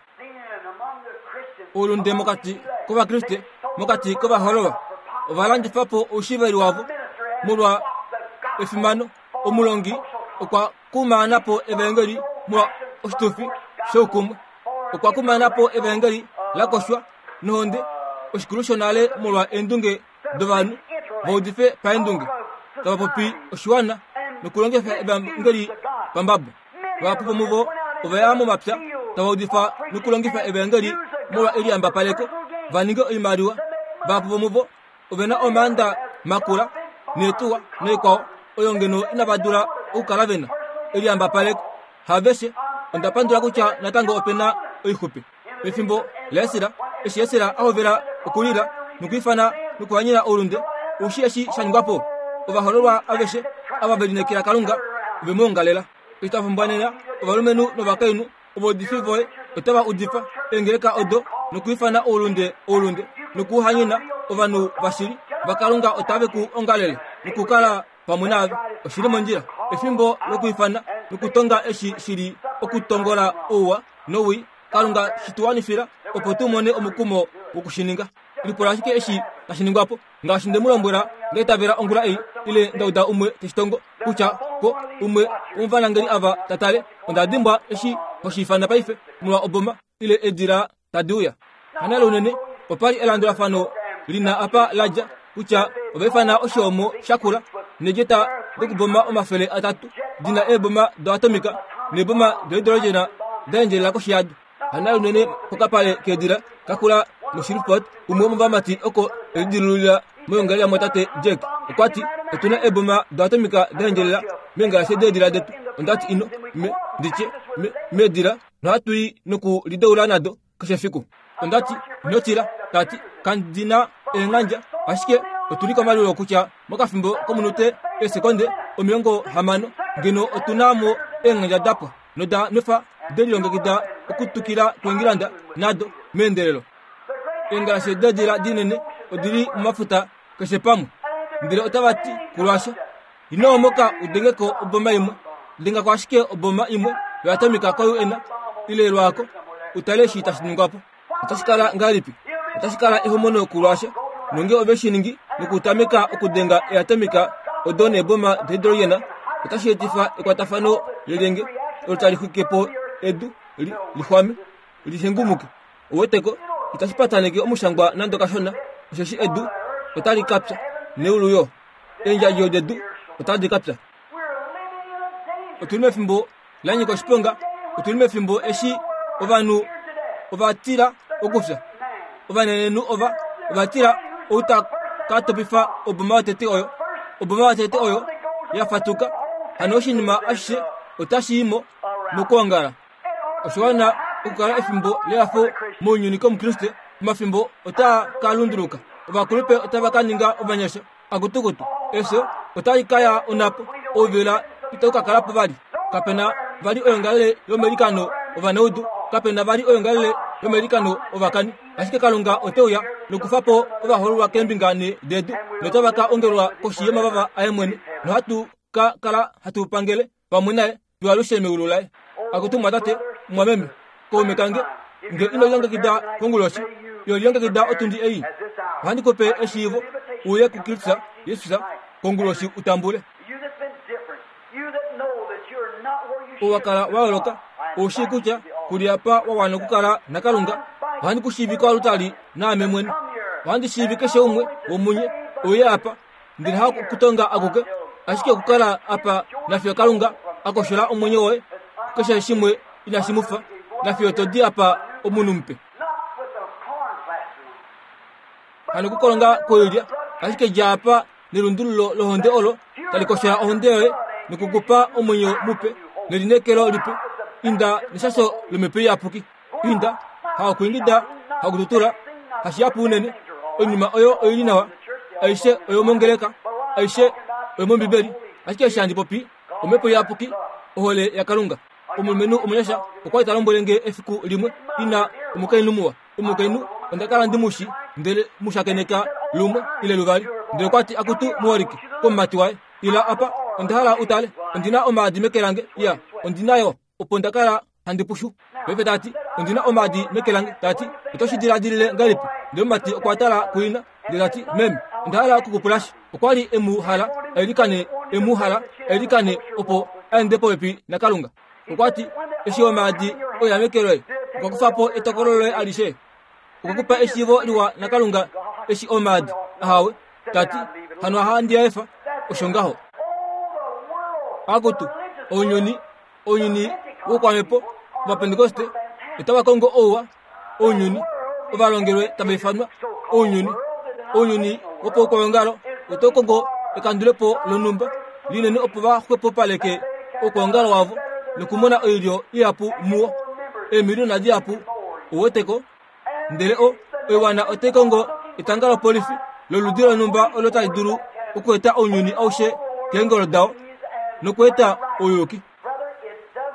Oulunde mokati kOvakriste, mokati kovahololwa, ova landifa po oushiveli wavo molwa efimano. Omulongi okwa kumaana po evaengeli molwa oshitufi shoukumwe. Okwa kumaana po evaengeli la koshwa nohonde, oshikulu shonale molwa eendunge dovanhu va udife paendunge, tava popi oshiwana nokulongifa evaengeli pambabo. Vahapu vomuvo ova ya momapya tava udifa nokulongifa evaengeli molwa eliyambapaleko va ninge oimaliwa. Vahapu vomuvo ove na omaanda makula neetuwa noikwao oyo ngeno inava dula okukala ve na eliyambapaleko. Haaveshe, onda pandula kutya natango ope na oixupe. Pefimbo laEsra, eshi Esra a hovela okulila nokwiifana nokuhanyena oulunde, ou shii eshi sha ningwa po? Ovahoololwa aveshe ava ve lineekela Kalunga ove mu ongalela. Eshi twa pumbwa nena ovalumenhu novakainhu ovaudifi voye otava udifa eengeleka odo nokwiifana oulunde oulunde nokuhanyena ovanhu vashili vaKalunga otave ku ongalele nokukala pamwe naave. Oshi li mondjila efimbo lokwiifana nokutonga eshi shi li okutongola ouwa nowii. Kalunga shi tu wanifila opo tu mone omukumo woku shi ninga. Lipula ashike eshi tashi ningwa po. Ngaashi nde mu lombwela, nda itavela ongula ei, ile nda uda umwe te shi tongo, kutya ko umwe womovanangeli ava ta tale, onda dimbwa eshi ho shi ifana paife, molwa oboma, ile eedila tadi uya. Hanale unene, opa li elandulafano li na apa la dja, kutya ova ifana oshoomo sha kula needjeta dokuboma 300 di na eeboma doatomika neeboma dohidrogena da endjelela koshi yado. Hanale unene pokapale keedila ka kula moShreveport, umwe womovamati oko e lidilulula moyongalele yamwatate Jack okwa ti, Otu na eeboma doatomika da endjelela meengalashe deedila detu. Onda ti ino, me, ndi tye, me, meedila nohatu i nokulideula nado keshe efiku. Onda ti, Ino tila, ta ti, kandi na eenghandja, ashike otu li komalwilo kutya mokafimbo komunute eesekonde 60 ngeno otu na mo eenghandja da pwa noda nwefa de lilongekida okutukila kuEngilanda nado meendelelo. Eengalashe deedila dinene odi li momafuta keshe pamwe, ndele otava ti kuRussia, Ino omoka u denge ko oboma imwe. Denga ko ashike oboma imwe yoatomika ko-UN ile lwaako u tale eshi tashi ningwa po. Otashi kala ngahelipi? Otashi kala ehomono kuRussia nonge ove shi ningi nokutameka okudenga eatomika odo neeboma dohidrogena, otashi etifa ekwatafano lelyenge olo tali xwike po edu li xwame, li hengumuke. Ouweteko, itashi pataneke omushangwa nande okashona, osheshi edu otali ka pya, neulu yo. Eendjadjo dedu otadi ka pya. Otu li mefimbo la nyika oshiponga. Otu li mefimbo eshi ovanhu ova tila okufya. Ovanenenhu ova Ova tila ou ta ka topifa oboma yotete oyo, oboma yotete oyo ya fatuka, hano oshinima ashishe otashi i mo mokwoongala. Osha wana okukala efimbo lehafo mounyuni kOmukriste. Omafimbo otaa ka lunduluka. Ovakulupe otava ka ninga ovanyasha. Akutukutu, efyo otali ka ya onhapo. Ouvela itau ka kala po vali. Kape na vali oyoongalele yomailikano ovanaudu. Kape na vali oyoongalele yomailikano ovakani. Ashike Kalunga ote uya nokufa po ovahoololwa keembinga nhee dedu, notava ka ongelwa koshi yomavava aye mwene, nohatu ka kala hatu pangele pamwe naye fiyo alushe meulu laye. Akutu mwatate, mwameme, kaume kange, nge ino lilongekida konguloshi, ino lilongekida otundi ei, ohandi ku pe eshiivo uye kuKristus Jesus konguloshi u tambule. Ou wa kala wa yooloka, ou shii kutya ku li apa wa wana okukala naKalunga, ohandi ku shiivi koalutali naame mwene. Ohandi shiivi keshe umwe womunye uye apa. Ndele hakutonga akuke, ashike okukala apa nafiyo Kalunga a koshola omwenyo woye kukeshe shimwe inashi mu fa, nafiyo to di apa omunhu mupe. Hano kukolonga koilya, ashike dja apa nelundululo lohonde olo tali koshola ohonde yoye nokukupa omwenyo mupe nelineekelo lipe. Inda neshasho lomhepo iyapuki. Inda, hakuingida, hakututula, hashihapu unene. Oinima oyo oi li nawa, aishe oyomongeleka, aishe oyomombibeli. Ashike eshi handi popi, Omhepo Iyapuki, ohole yaKalunga. Omulumenhu omunyasha okwa li ta lombwele nge efiku limwe, ina omukainhu muwa. Omukainhu onda kala ndi mu shi, ndele mu shakeneka lumwe ile luvali. Ndele okwa ti, Akutu muholike, komumati waye, ila apa, onda hala u tale. Ondi na omaadi meke lange. Iya, ondi na yo. Opo nda kala handi pushu. Paife ta ti, Ondi na omaadi meke lange. Ta ti, Oto shi diladilile ngahelipi? Ndele omumati okwa tala kuina, ndele ta ti, Meme, onda hala oku ku pula sha. Okwa li e mu hala a ilikane, e mu hala a ilikane opo a ende popepi naKalunga. Okwa ti, Eshi omaadi oya meke loye, okwa kufa po etokolo loye alishe. Okwa ku pa eshiivo liwa naKalunga eshi omaadi. Ahawe. Ta ti, Hano ohandi a efa. Osho ngaho. Akutu, ounyuni Ounyuni woukwamhepo Ovapentekoste otava kongo ouwa ounyuni, ovalongelwe tava ifanwa ounyuni. Ounyuni wopaukwaongalo otau kongo ekandulepo lonhumba linene opo va xwepopaleke oukwaongalo wavo nokumona oilyo ihapu muwo, eemiliyona dihapu. Ou wete ko? Ndele o, oiwana otai kongo etanga lopolifi loludi lonhumba olo tali dulu okweeta ounyuni aushe keengolo dao nokweeta ouyuki.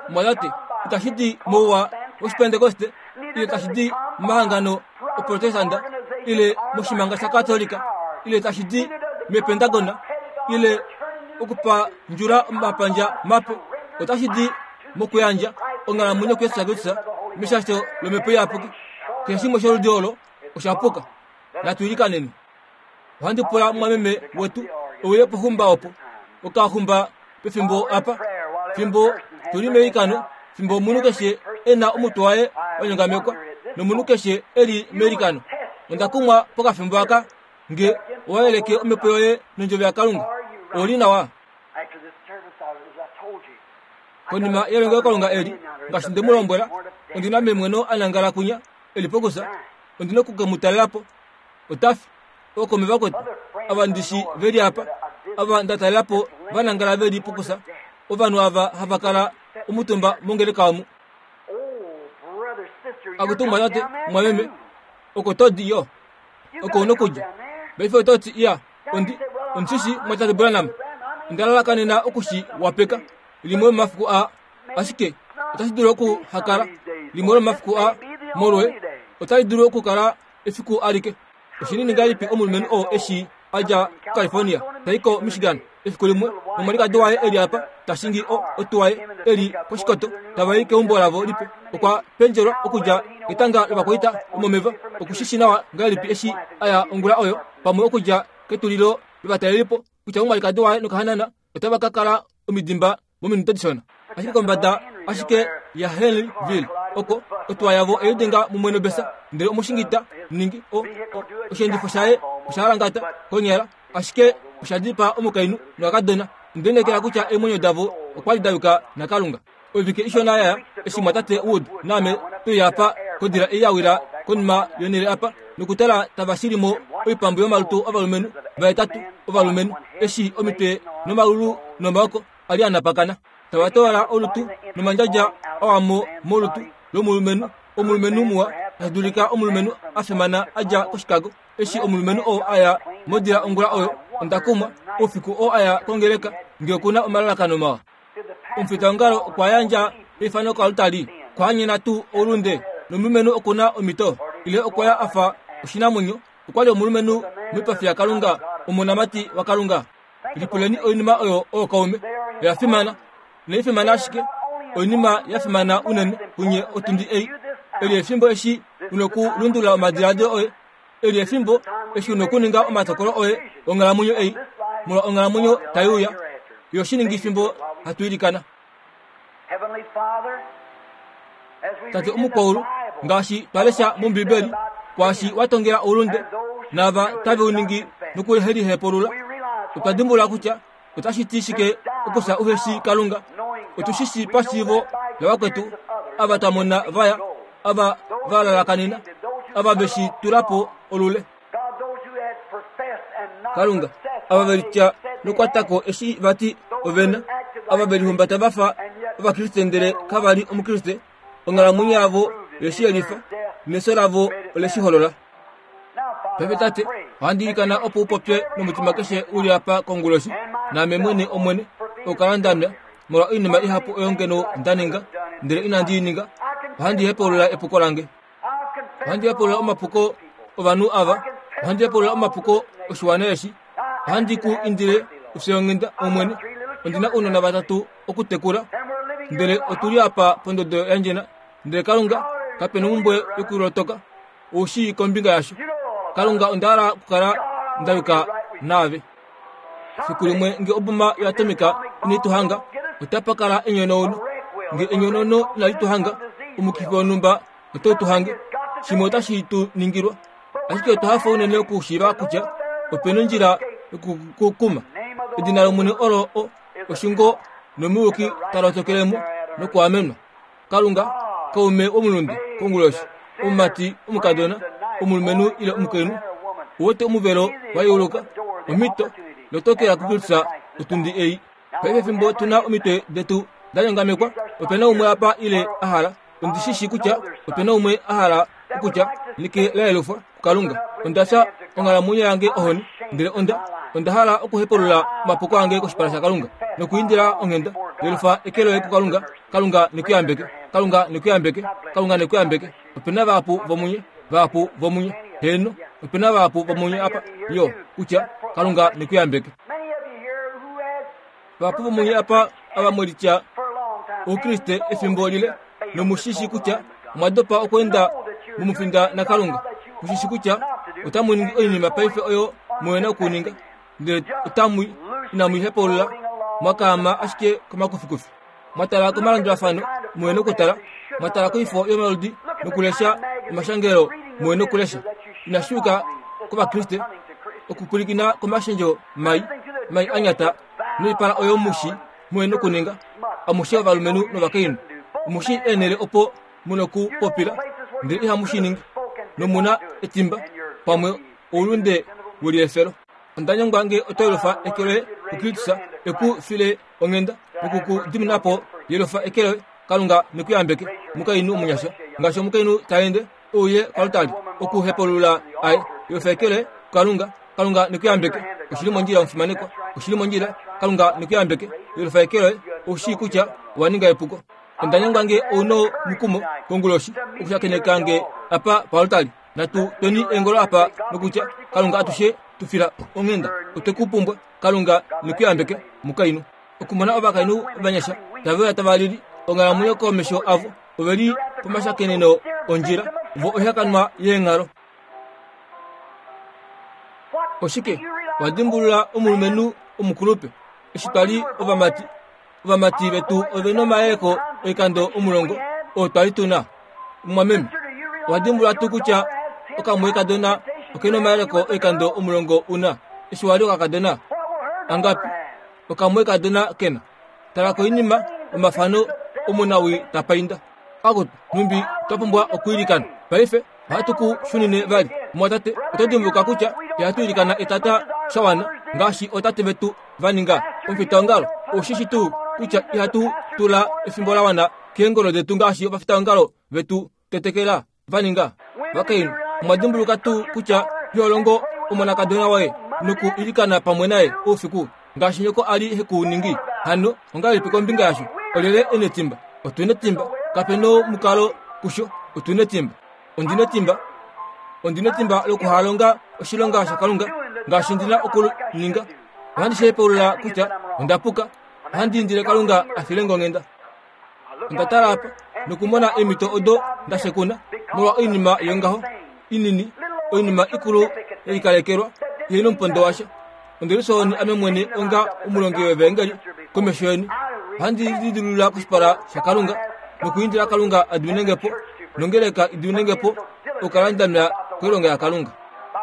Mwatate, itashi di mouwa wOshipentekoste ile tashi di momahangano Oprotestanda ile moshimanga shaKatolika ile tashi di mEpentagona ile okupandjula omapandja mape, otashi di mokuyandja onghalamwenyo kuJesus Kristus meshasho lOmhepo Iyapuki. Keshe shimwe sholudi olo osha puka. Natu ilikaneni. Ohandi pula mumwameme wetu e uye pohumba opo okahumba pefimbo apa, fimbo tu li meilikano, fimbo omunhu keshe e na omutwe waye wa nyongamekwa nomunhu keshe e li meilikano. Onda kumwa pokafimbo aka nge owa yeleke omhepo yoye nondjovo yaKalunga. Ou li nawa? Konima yelongelokalunga eli, ngaashi nde mu lombwela, ondi na memweno a nangala kwinya e li pokusa. Ondi na oku ke mu talela po. Ota fi. Ookaume vakwetu ava ndi shi ve li apa, ava nda talela po va nangala ve li pokusa, ovanhu ava hava kala omutumba mongeleka omu. Akutu mwatate, mwameme, oko to di yo. Oko u nokudja. Paife oto ti, Iya, ondi, ondi shi shii, mwatate Branham. Onda lalakanena oku shi wapeka, limwe lomomafiku aa. Ashike otashi dulu oku ha kala limwe lomomafiku aa, molwe, otali dulu okukala efiku alike. Oshinini ngahelipi omulumenhu oo eshi a dja kuCalifornia ta i koMichigan efiku limwe nomwalikadi waye e li apa ta shingi o, otuwa ye e li koshikoto tava i keumbo lavo lipe. Okwa pendjelwa okudja ketanga lovakwaita vomomeva. Oku shi shi nawa ngahelipi eshi a ya ongula oyo, pamwe okudja ketulilo lovatalelipo, kutya omwalikadi waye nokahanana otava ka kala omidimba mominute dishona. Ashike kombada ashike yaHenryville oko otuwa yavo oye lidenga mumwe nobesa, ndele omushingi ta ningi o, o, osheendifo shaye osha halangata konyala, ashike osha dipaa omukainhu nokakadona. Onde lineekela kutya eemwenyo davo okwa li da yuka naKalunga. Oivike ishona ya ya, eshi mwatate Wood naame twe uya apa kodila ei ya wila konima yonhele apa nokutala tava shili mo oipambu yomalutu ovalumenhu vahetatu ovalumenhu eshi omitwe nomalulu nomaoko a li a napakana tava toola olutu nomandjadja a wa mo molutu lomulumenhu omulumenhu muwa tashi dulika omulumenhu a fimana a dja koChicago eshi omulumenhu oo a ya modila ongula oyo onda kumwa oufiku oo a ya kongeleka nge oku na omalalakano mawa Omufitaongalo okwa yandja eifano koaltari, Okwaanyena tuu oulunde, nomulumenhu oku na omhito, ile okwa ya a fa oshinamwenyo, okwa li omulumenhu moipafi yaKalunga, omonamati waKalunga. Lipuleni oinima oyo ookaume. Oya fimana. Inai fimana ashike, oinima ya fimana unene kunye otundi ei. Eli efimbo eshi u nokulundulula omadiladilo oye. Eli efimbo eshi u nokuninga omatokolo oye onghalamwenyo ei, molwa onghalamwenyo tai uya. Yo shi ningi fimbo hatu ilikana. Tate omukwaulu, ngaashi twa lesha mOmbibeli, kwaashi wa tongela oulunde, naava tave u ningi nokuhelihepulula, otwa dimbulula kutya otashi ti shike okufya uhe shii Kalunga. Otu shi shii pashiivo lavakwetu ava twa mona va ya, ava va lalakanena, ava ve shi tula po olule. Kalunga, ava ve litya nokukwata ko eshi va ti ove na, ava ve lihumbata va fa Ovakriste ndele kava li Omukriste, onghalamwenyo yavo oye shi yelifa, nefyo lavo ole shi holola. Paife Tate, ohandi ilikana opo u popye nomutima keshe u li apa konguloshi, naame mwene, Omwene, okukala nda nwa, molwa oinima ihapu oyo ngeno nda ninga, ndele inandi i ninga. Ohandi hepaulula epuko lange. Ohandi hepaulula omapuko ovanhu ava. Ohandi hepaulula omapuko oshiwana eshi. Ohandi ku indile u fye onghenda, Omwene. Ondi na ounona vatatu okutekula, ndele otu li apa pondodo ya ndjena. Ndele Kalunga, kape nomhumbwe yokulotoka. Ou shii kombinga yasho. Kalunga, onda hala okukala nda yuka naave. Fiku limwe nge oboma yoatomika inai tu hanga, otapa kala enyonauno. Nge enyonauno inali tu hanga, omukifi wonhumba otau tu hange. Shimwe otashi tu ningilwa. Ashike otwa hafa unene okushiiva kutya ope nondjila yokukukuma. Edina lOmwene olo o, oshungo nomuyuki ta lotokele mo nokuamenwa. Kalunga, kaume womulunde konguloshi, omumati, omukadona, omulumenhu ile omukainhu, u wete omuvelo wa yeuluka, omhito, lotokela kuKristus otundi ei. Paife fimbo tu na omitwe detu da nyongamekwa, ope na umwe apa ile a hala, ondi shi shii kutya ope na umwe a hala okutya, Neke la yelufwa kuKalunga, onda fya onghalamwenyo yange ohoni, ndele onda, onda hala okuhepulula omapuko ange koshipala shaKalunga nokuindila onghenda. Yelufa eke loye kuKalunga. Kalunga ne ku yambeke. Kalunga ne ku yambeke. Kalunga ne ku yambeke. Ope na vahapu vomunye, vahapu vomunye. Heeno, ope na vahapu vomunye apa, yo, kutya, Kalunga ne ku yambeke. Vahapu vomunye apa ava mwe litya Oukriste efimbo lile, nomu shi shi kutya omwa dopa okweenda momufinda naKalunga. Mu shi shi kutya otamu ningi oinima paife oyo mu na okuninga, ndele otamu inamu i hepaulula, mwa kaama ashike komakufikufi. Mwa tala komalandulafano, mu na okutala, mwa tala koifo yomaludi nokulesha omashangelo mu na okulesha. Inashi yuka kOvakriste okupwilikina komashendjo mai, mai a nyata noipala oyo mu shi mu na okuninga, amushe ovalumenhu novakainhu. Omu shii eenhele opo mu na okupopila, ndele ihamu shi ningi, nomu na etimba, pamwe oulunde weliefelo. Onda nyengwa nge oto yelufa eke loye kuKristus e ku file onghenda noku ku dimina po. Yelufa eke loye, Kalunga ne ku yambeke. Omukainhu omunyasha, ngaashi omukainhu ta ende, e uye koaltari okuhepulula aye. Yelufa eke loye kuKalunga, Kalunga ne ku yambeke. Oshi li mondjila, omufimanekwa. Oshi li mondjila. Kalunga ne ku yambeke. Yelufa eke loye, ou shii kutya owa ninga epuko. Onda nyengwa nge ou nomukumo konguloshi okushakeneka nge apa paaltari. Natu tweni eengolo apa nokutya, Kalunga atushe tu fila onghenda. Otwe ku pumbwa. Kalunga ne ku yambeke, mukainhu. Okumona ovakainhu ovanyasha tave uya tava lili onghalamwenyo komesho avo, ove li pomashakeneno ondjila, vo oihakanwa yeenghalo. Oshike wa dimbulula omulumenhu omukulupe? Eshi twa li ovamati, ovamati vetu ove nomayeleko oikando omulongo oo twa li tu na. Mumwameme, owa dimbulula tuu kutya okamwoikadona oke nomayeleko oikando omulongo u na eshi wa li okakadona? Angapi okamwoikadona ke na? Tala koinima, omafano omunawii ta painda. Akutu, nhumbi twa pumbwa okwiilikana paife! Ohatu ku shunine vali. Mumwatate, oto dimbuluka kutya ihatu ilikana etata sha wana ngaashi ootate vetu va ninga? Omufitaongalo, ou shi shi tuu kutya ihatu tula efimbo la wana keengolo detu ngaashi ovafitaongalo vetu tetekela va ninga? Vakainhu, omwa dimbuluka tuu kutya iho longo omonakadona woye noku ilikana pamwe naye oufiku ngaashi nyoko a li he ku ningi? Hano ongahelipi kombinga yasho? Olyelye e netimba? Otu netimba. Kape nomukalo kusho. Otu netimba. Ondi netimba. Ondi netimba lokuhalonga oshilonga shaKalunga ngaashi ndi na okuninga. Ohandi shi hepaulula kutya onda puka. Ohandi indile Kalunga a file nge onghenda. Onda tala apa nokumona eemhito odo nda shekuna molwa oinima yongaho inini, oinima ikulu ye likalekelwa ihe nomupondo washa. Ondi li ame mwene onga omulongi wevaengeli komesho yeni. Ohandi lidilulula koshipala shaKalunga nokuindila Kalunga a dimine nge po nongeleka i dimine nge po okukala nda nwa koilonga yaKalunga.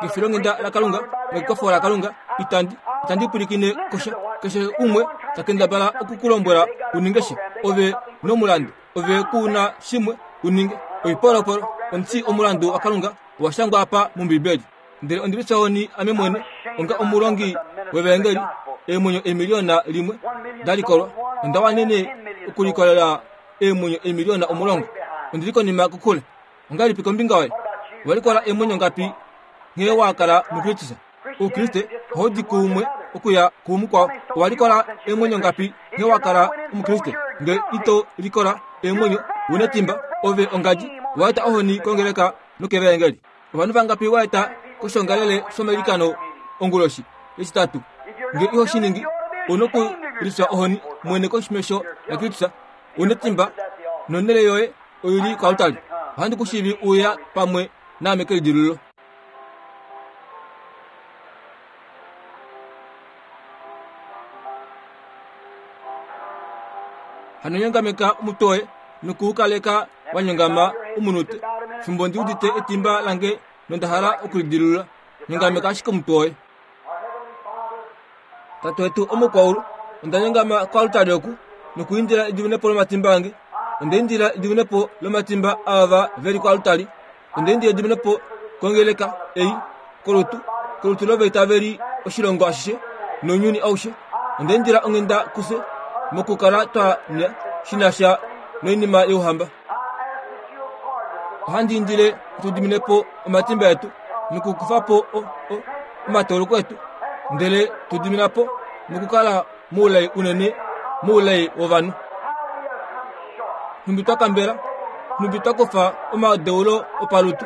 Kefilonghenda laKalunga nokekwafo laKalunga itandi itandi pwilikine kosha keshe umwe ta kendabala oku ku lombwela u ninge sha. Ove nomulandu, ove ku na shimwe u ninge. Oipolopolo, omuti omulandu waKalunga owa shangwa apa mOmbibeli. Ndele ondi lifyahoni ame mwene onga omulongi wevaengeli, eemwenyo eemiliyona limwe da likolwa. Onda wanene okulikolela eemwenyo eemiliyona 10. Ondi li konima kokule. Ongahelipi kombinga yoye? Owa likola eemwenyo ngapi nghee wa kala muKristus? Oukriste ohau di kuumwe okuya kumukwao. Owa likola eemwenyo ngapi nghee wa kala Omukriste? Nge ito likola eemwenyo, u netimba, ove ongadji, wa eta ohoni kongeleka nokevaengeli. Ovanhu vangapi wa eta koshongalele shomailikano onguloshi yEtitatu? Nge iho shi ningi, u nokulifya ohoni mwene komesho yaKristus. U netimba, nonhele yoye oi li koaltari. Ohandi ku shivi uya pamwe naame kelidilululo. Hano nyongameka omutwe woye noku u kaleka wa nyongama omunute fimbo ndi udite etimba lange nonda hala okulidilulula. Nyongameka ashike omutwe woye. Tate wetu omukwaulu, onda nyongama koaltari oku nokuindila ediminepo lomatimba ange. Onda indila ediminepo lomatimba aava ve li koaltari. Onda indila ediminepo kongeleka ei, kolutu, kolutu lovaitaveli oshilongo ashishe nounyuni aushe. Onda indila onghenda kufye mokukala twa nya shi na sha noinima youhamba. Ohandi indile tu dimine po omatimba etu nokukufa po omatauluko etu, ndele tu dimina po nokukala moulai unene moulai wovanhu. Nhumbi twa kambela, nhumbi twa kufa omadeulo opalutu,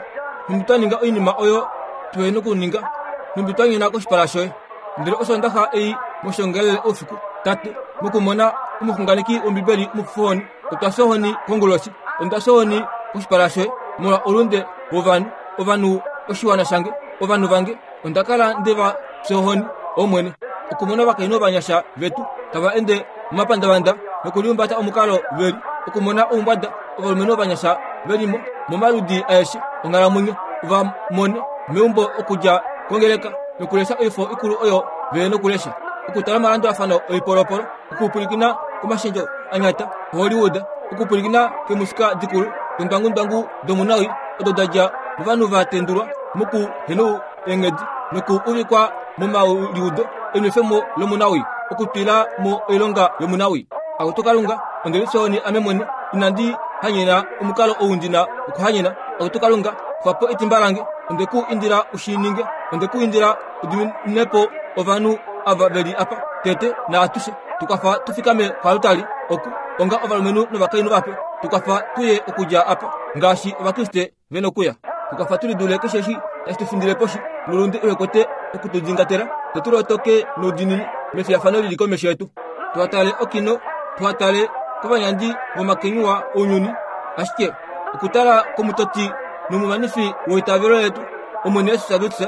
nhumbi twa ninga oinima oyo tuhe nokuninga, nhumbi twa nyona koshipala shoye. Ndele Osoondaxa ei moshiongalele oufiku, Tate, mokumona omuxunganeki wOmbibeli omufuhoni, otwa fya ohoni konguloshi, onda fya ohoni koshipala shoye molwa oulunde wovanhu, ovanhu oshiwana shange, ovanhu vange, onda kala nde va fya ohoni, Omwene, okumona ovakainhu ovanyasha vetu tava ende momapandavanda nokulihumbata omukalo ve li, okumona oumbwada ovalumenhu ovanyasha ve li mo momaludi aeshe onghalamwenyo, va mone meumbo okudja kongeleka nokulesha oifo ikulu oyo ve nokulesha, okutala omalandulafano oipolopolo, okupwilikina komashendjo a nyata Hollywood, okupwilikina keemusika dikulu dondwangundwangu domunawi odo da dja movanhu va tendulwa moku hena eenghedi noku uvikwa momaliudo enwefemo lomunawi, okutwila mo oilonga yomunawi. Akutu Kalunga, onde lifyahoni ame mwene, inandi hanyena omukalo ou ndi na okuhanyena. Akutu Kalunga, kufa po etimba lange, onde ku indila u shi ninge, onde ku indila u dimine po ovanhu ava ve li apa tete naatushe. Tu kwafa tu fikame koaltari oku onga ovalumenhu novakainhu vape. Tu kwafa tu ye okudja apa ngaashi Ovakriste ve nokuya. Tu kwafa tu lidule keshe eshi tashi tu findile poshi nolunde uhe kwete oku tu dingatela, fye tu lotoke noudiinini mefiyafano li li komesho yetu. Tuha tale okino, tuha tale kovanyandi vomakenyuwa ounyuni, ashike okutala komutoti nomumanifi weitavelo letu, Omwene Jesus Kristus,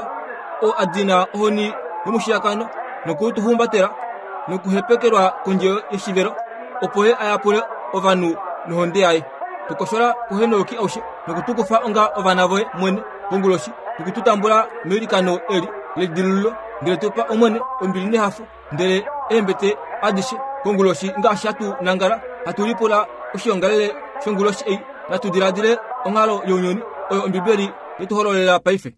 oo a dina ohoni yomushiyakano noku tu humbatela nokuhepekelwa kondje yoshivelo, opo ye a yapule ovanhu nohonde yaye. Tu koshola kuhenouyuki aushe noku tu kufa onga ovana voye mwene konguloshi noku tu tambula meilikano eli lelidilululo, ndele tu pa Omwene ombili nehafo, ndele eembete adishe konguloshi ngaashi hatu nangala hatu lipula oshiongalele shonguloshi ei, natu diladile onghalo younyuni oyo Ombibeli we tu hololela paife.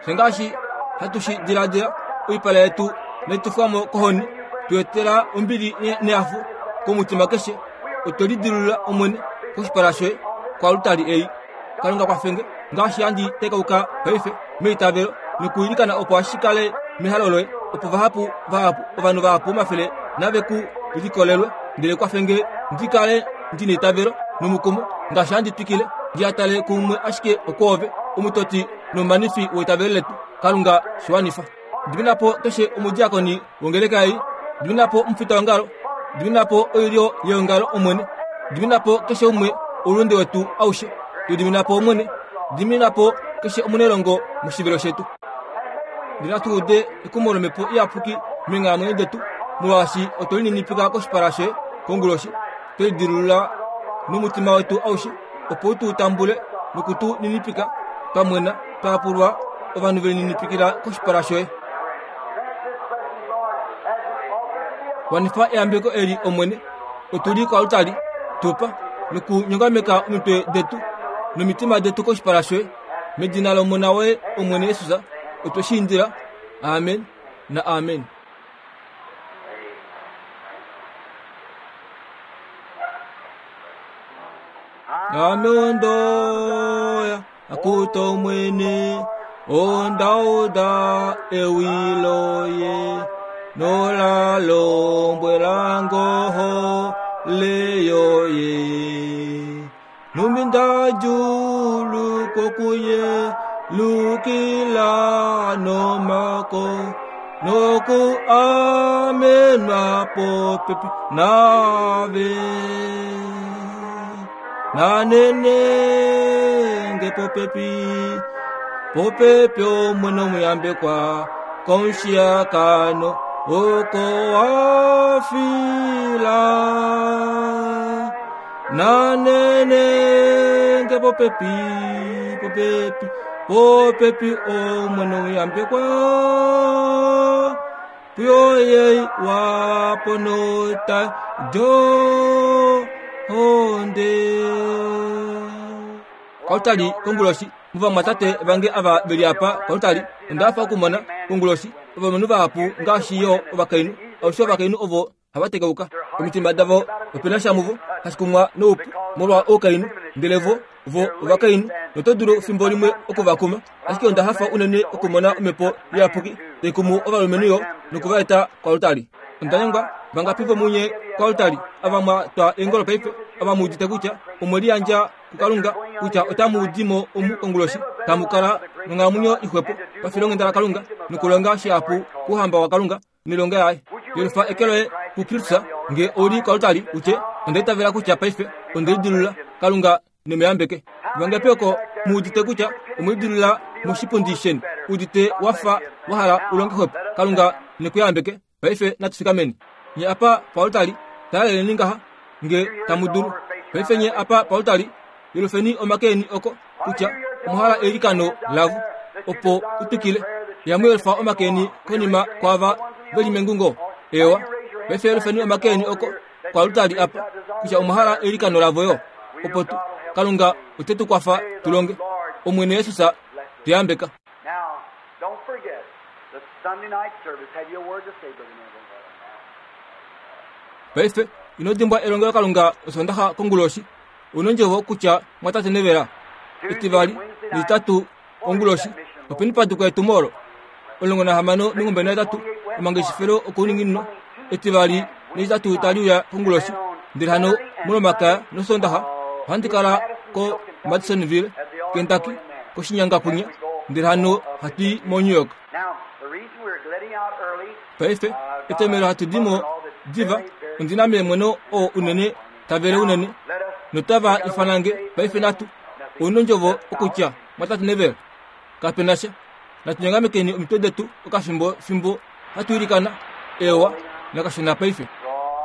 Fye ngaashi hatu shi diladila, oipala yetu nai tufwa mo kohoni, tu etela ombili nehafo komutima keshe. Otwe lidilulula, Omwene, koshipala shoye koalutali ei. Kalunga kwafenge ngaashi handi tekauka paife meitavelo nokuilikana opo ashi kale mehalo loye, opo vahapu vahapu ovanhu vahapu omafele nave ku likolelwe. Ndele kwafenge ndi kale ndi neitavelo nomukumo ngaashi handi twikile ndi a tale kuumwe ashike okwoove, omutoti nomumanifi weitavelo letu. Kalunga shi wanifa. Dimina po keshe omudiakoni wongeleka ei. Dimina po omufitaongalo. Dimina po oilyo yeongalo, Omwene. Dimina po keshe umwe oulunde wetu aushe. Tu dimina po, Omwene. Dimina po keshe omunelongo moshivelo shetu. Ndele natu ude ekumo lOmhepo Iyapuki meenghalamwenyo detu, molwaashi otwe lininipika koshipala shoye konguloshi, twe lidilulula nomutima wetu aushe, opo u tu tambule noku tu ninipika twa mwena, twa yapulwa, ovanhu ve lininipikila koshipala shoye. Wanifa eyambeko eli, Omwene. Otu li koaltari, tu pa, nokunyongameka omitwe detu nomitima detu koshipala shoye. Medina lOmona woye, Omwene Jesus, otwe shi indila. Amen na amen. Ame ondoya akuta Omwene, onda uda ewi loye, nola lombwela ngoho leyoye. Numbi nda djulu kokuye lukila nomako noku amenwa popepi nave nanene nge popepi popepi omwene omuyambekwa komushiyakano oko wafila nanene nge popepi popepi popepi omwene omuyambekwa puyoye waponota jo honde Kautali konguloshi muvamwatate vange ava veli apa kautali onda hafa okumona konguloshi ovalumenhu vahapu ngaashi yo ovakainhu alushe ovakainhu ovo hava tekauka omitima davo ope na sha muvo hashi kumwa noupu molwa oukainhu ndele vo vo ovakainhu noto dulu fimbo limwe oku va kuma ashike onda hafa unene okumona omhepo iyapuki tai kumu ovalumenhu yo noku va eta koaltari onda nyengwa vangapi vomunye koaltari ava mwa twa eengolo paife ava mu udite kutya omwe liyandja kuKalunga kutya otamu di mo omu konguloshi, tamu kala nonghalamwenyo ixwepo pafilonghenda laKalunga nokulonga shihapu kouhamba waKalunga noilonga yaye. Yelufa eke loye kuKristus nge ou li koaltari u tye, Onda itavela kutya paife onde lidilulula. Kalunga ne mu yambeke. Vangapi oko mu udite kutya omwe lidilulula moshipundi sheni, udite wa fa wa hala u longe xwepo? Kalunga ne ku yambeke. Paife natu fikameni. Nye apa paoltali, taleleni ngaha, nge tamu dulu. Paife nye apa paoltali, yelufeni omake eni oko, kutya omwa hala eilikano lavo, opo u twikile. Ihamu yelufa omake eni konima kwaava ve li mengungo? Eewa. Paife yelufeni omake eni oko, koaltari apa, kutya omwa hala eilikano lavo yo, opo tu, Kalunga ote tu kwafa tu longe. Omwene Jesus, tu yambeka. Now, don't forget the Sunday night service. Have you a word to say, Brother Neville? Paife, ino dimbwa elongelokalunga Osondaxa konguloshi. Ou nondjovo kutya mwatate Neville, Etivali nEtitatu onguloshi, openi pa dikwa etumo olo? 16 28 omangeshefelo okouninginino, Etivali nEtitatu tali uya konguloshi. Ndele hano mOlomakaya nOsoondaxa ohandi kala ko Madisonville, Kentucky, koshinyanga kwinya, ndele hano hatu i moNew York. Paife, etomhelo hatu di mo diva, ondi na meemweno oo unene ta vele unene, notava ifana nge paife natu ou nondjovo okutya, Mwatate Neville, kape na sha. Natu nyongamekeni omitwe detu okafimbo fimbo hatu ilikana. Eewa, nakashona paife.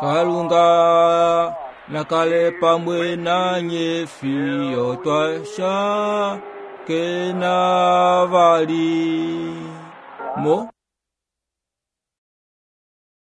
Kalunga na kale pamwe nanye fiyo twa shakena vali. Mo.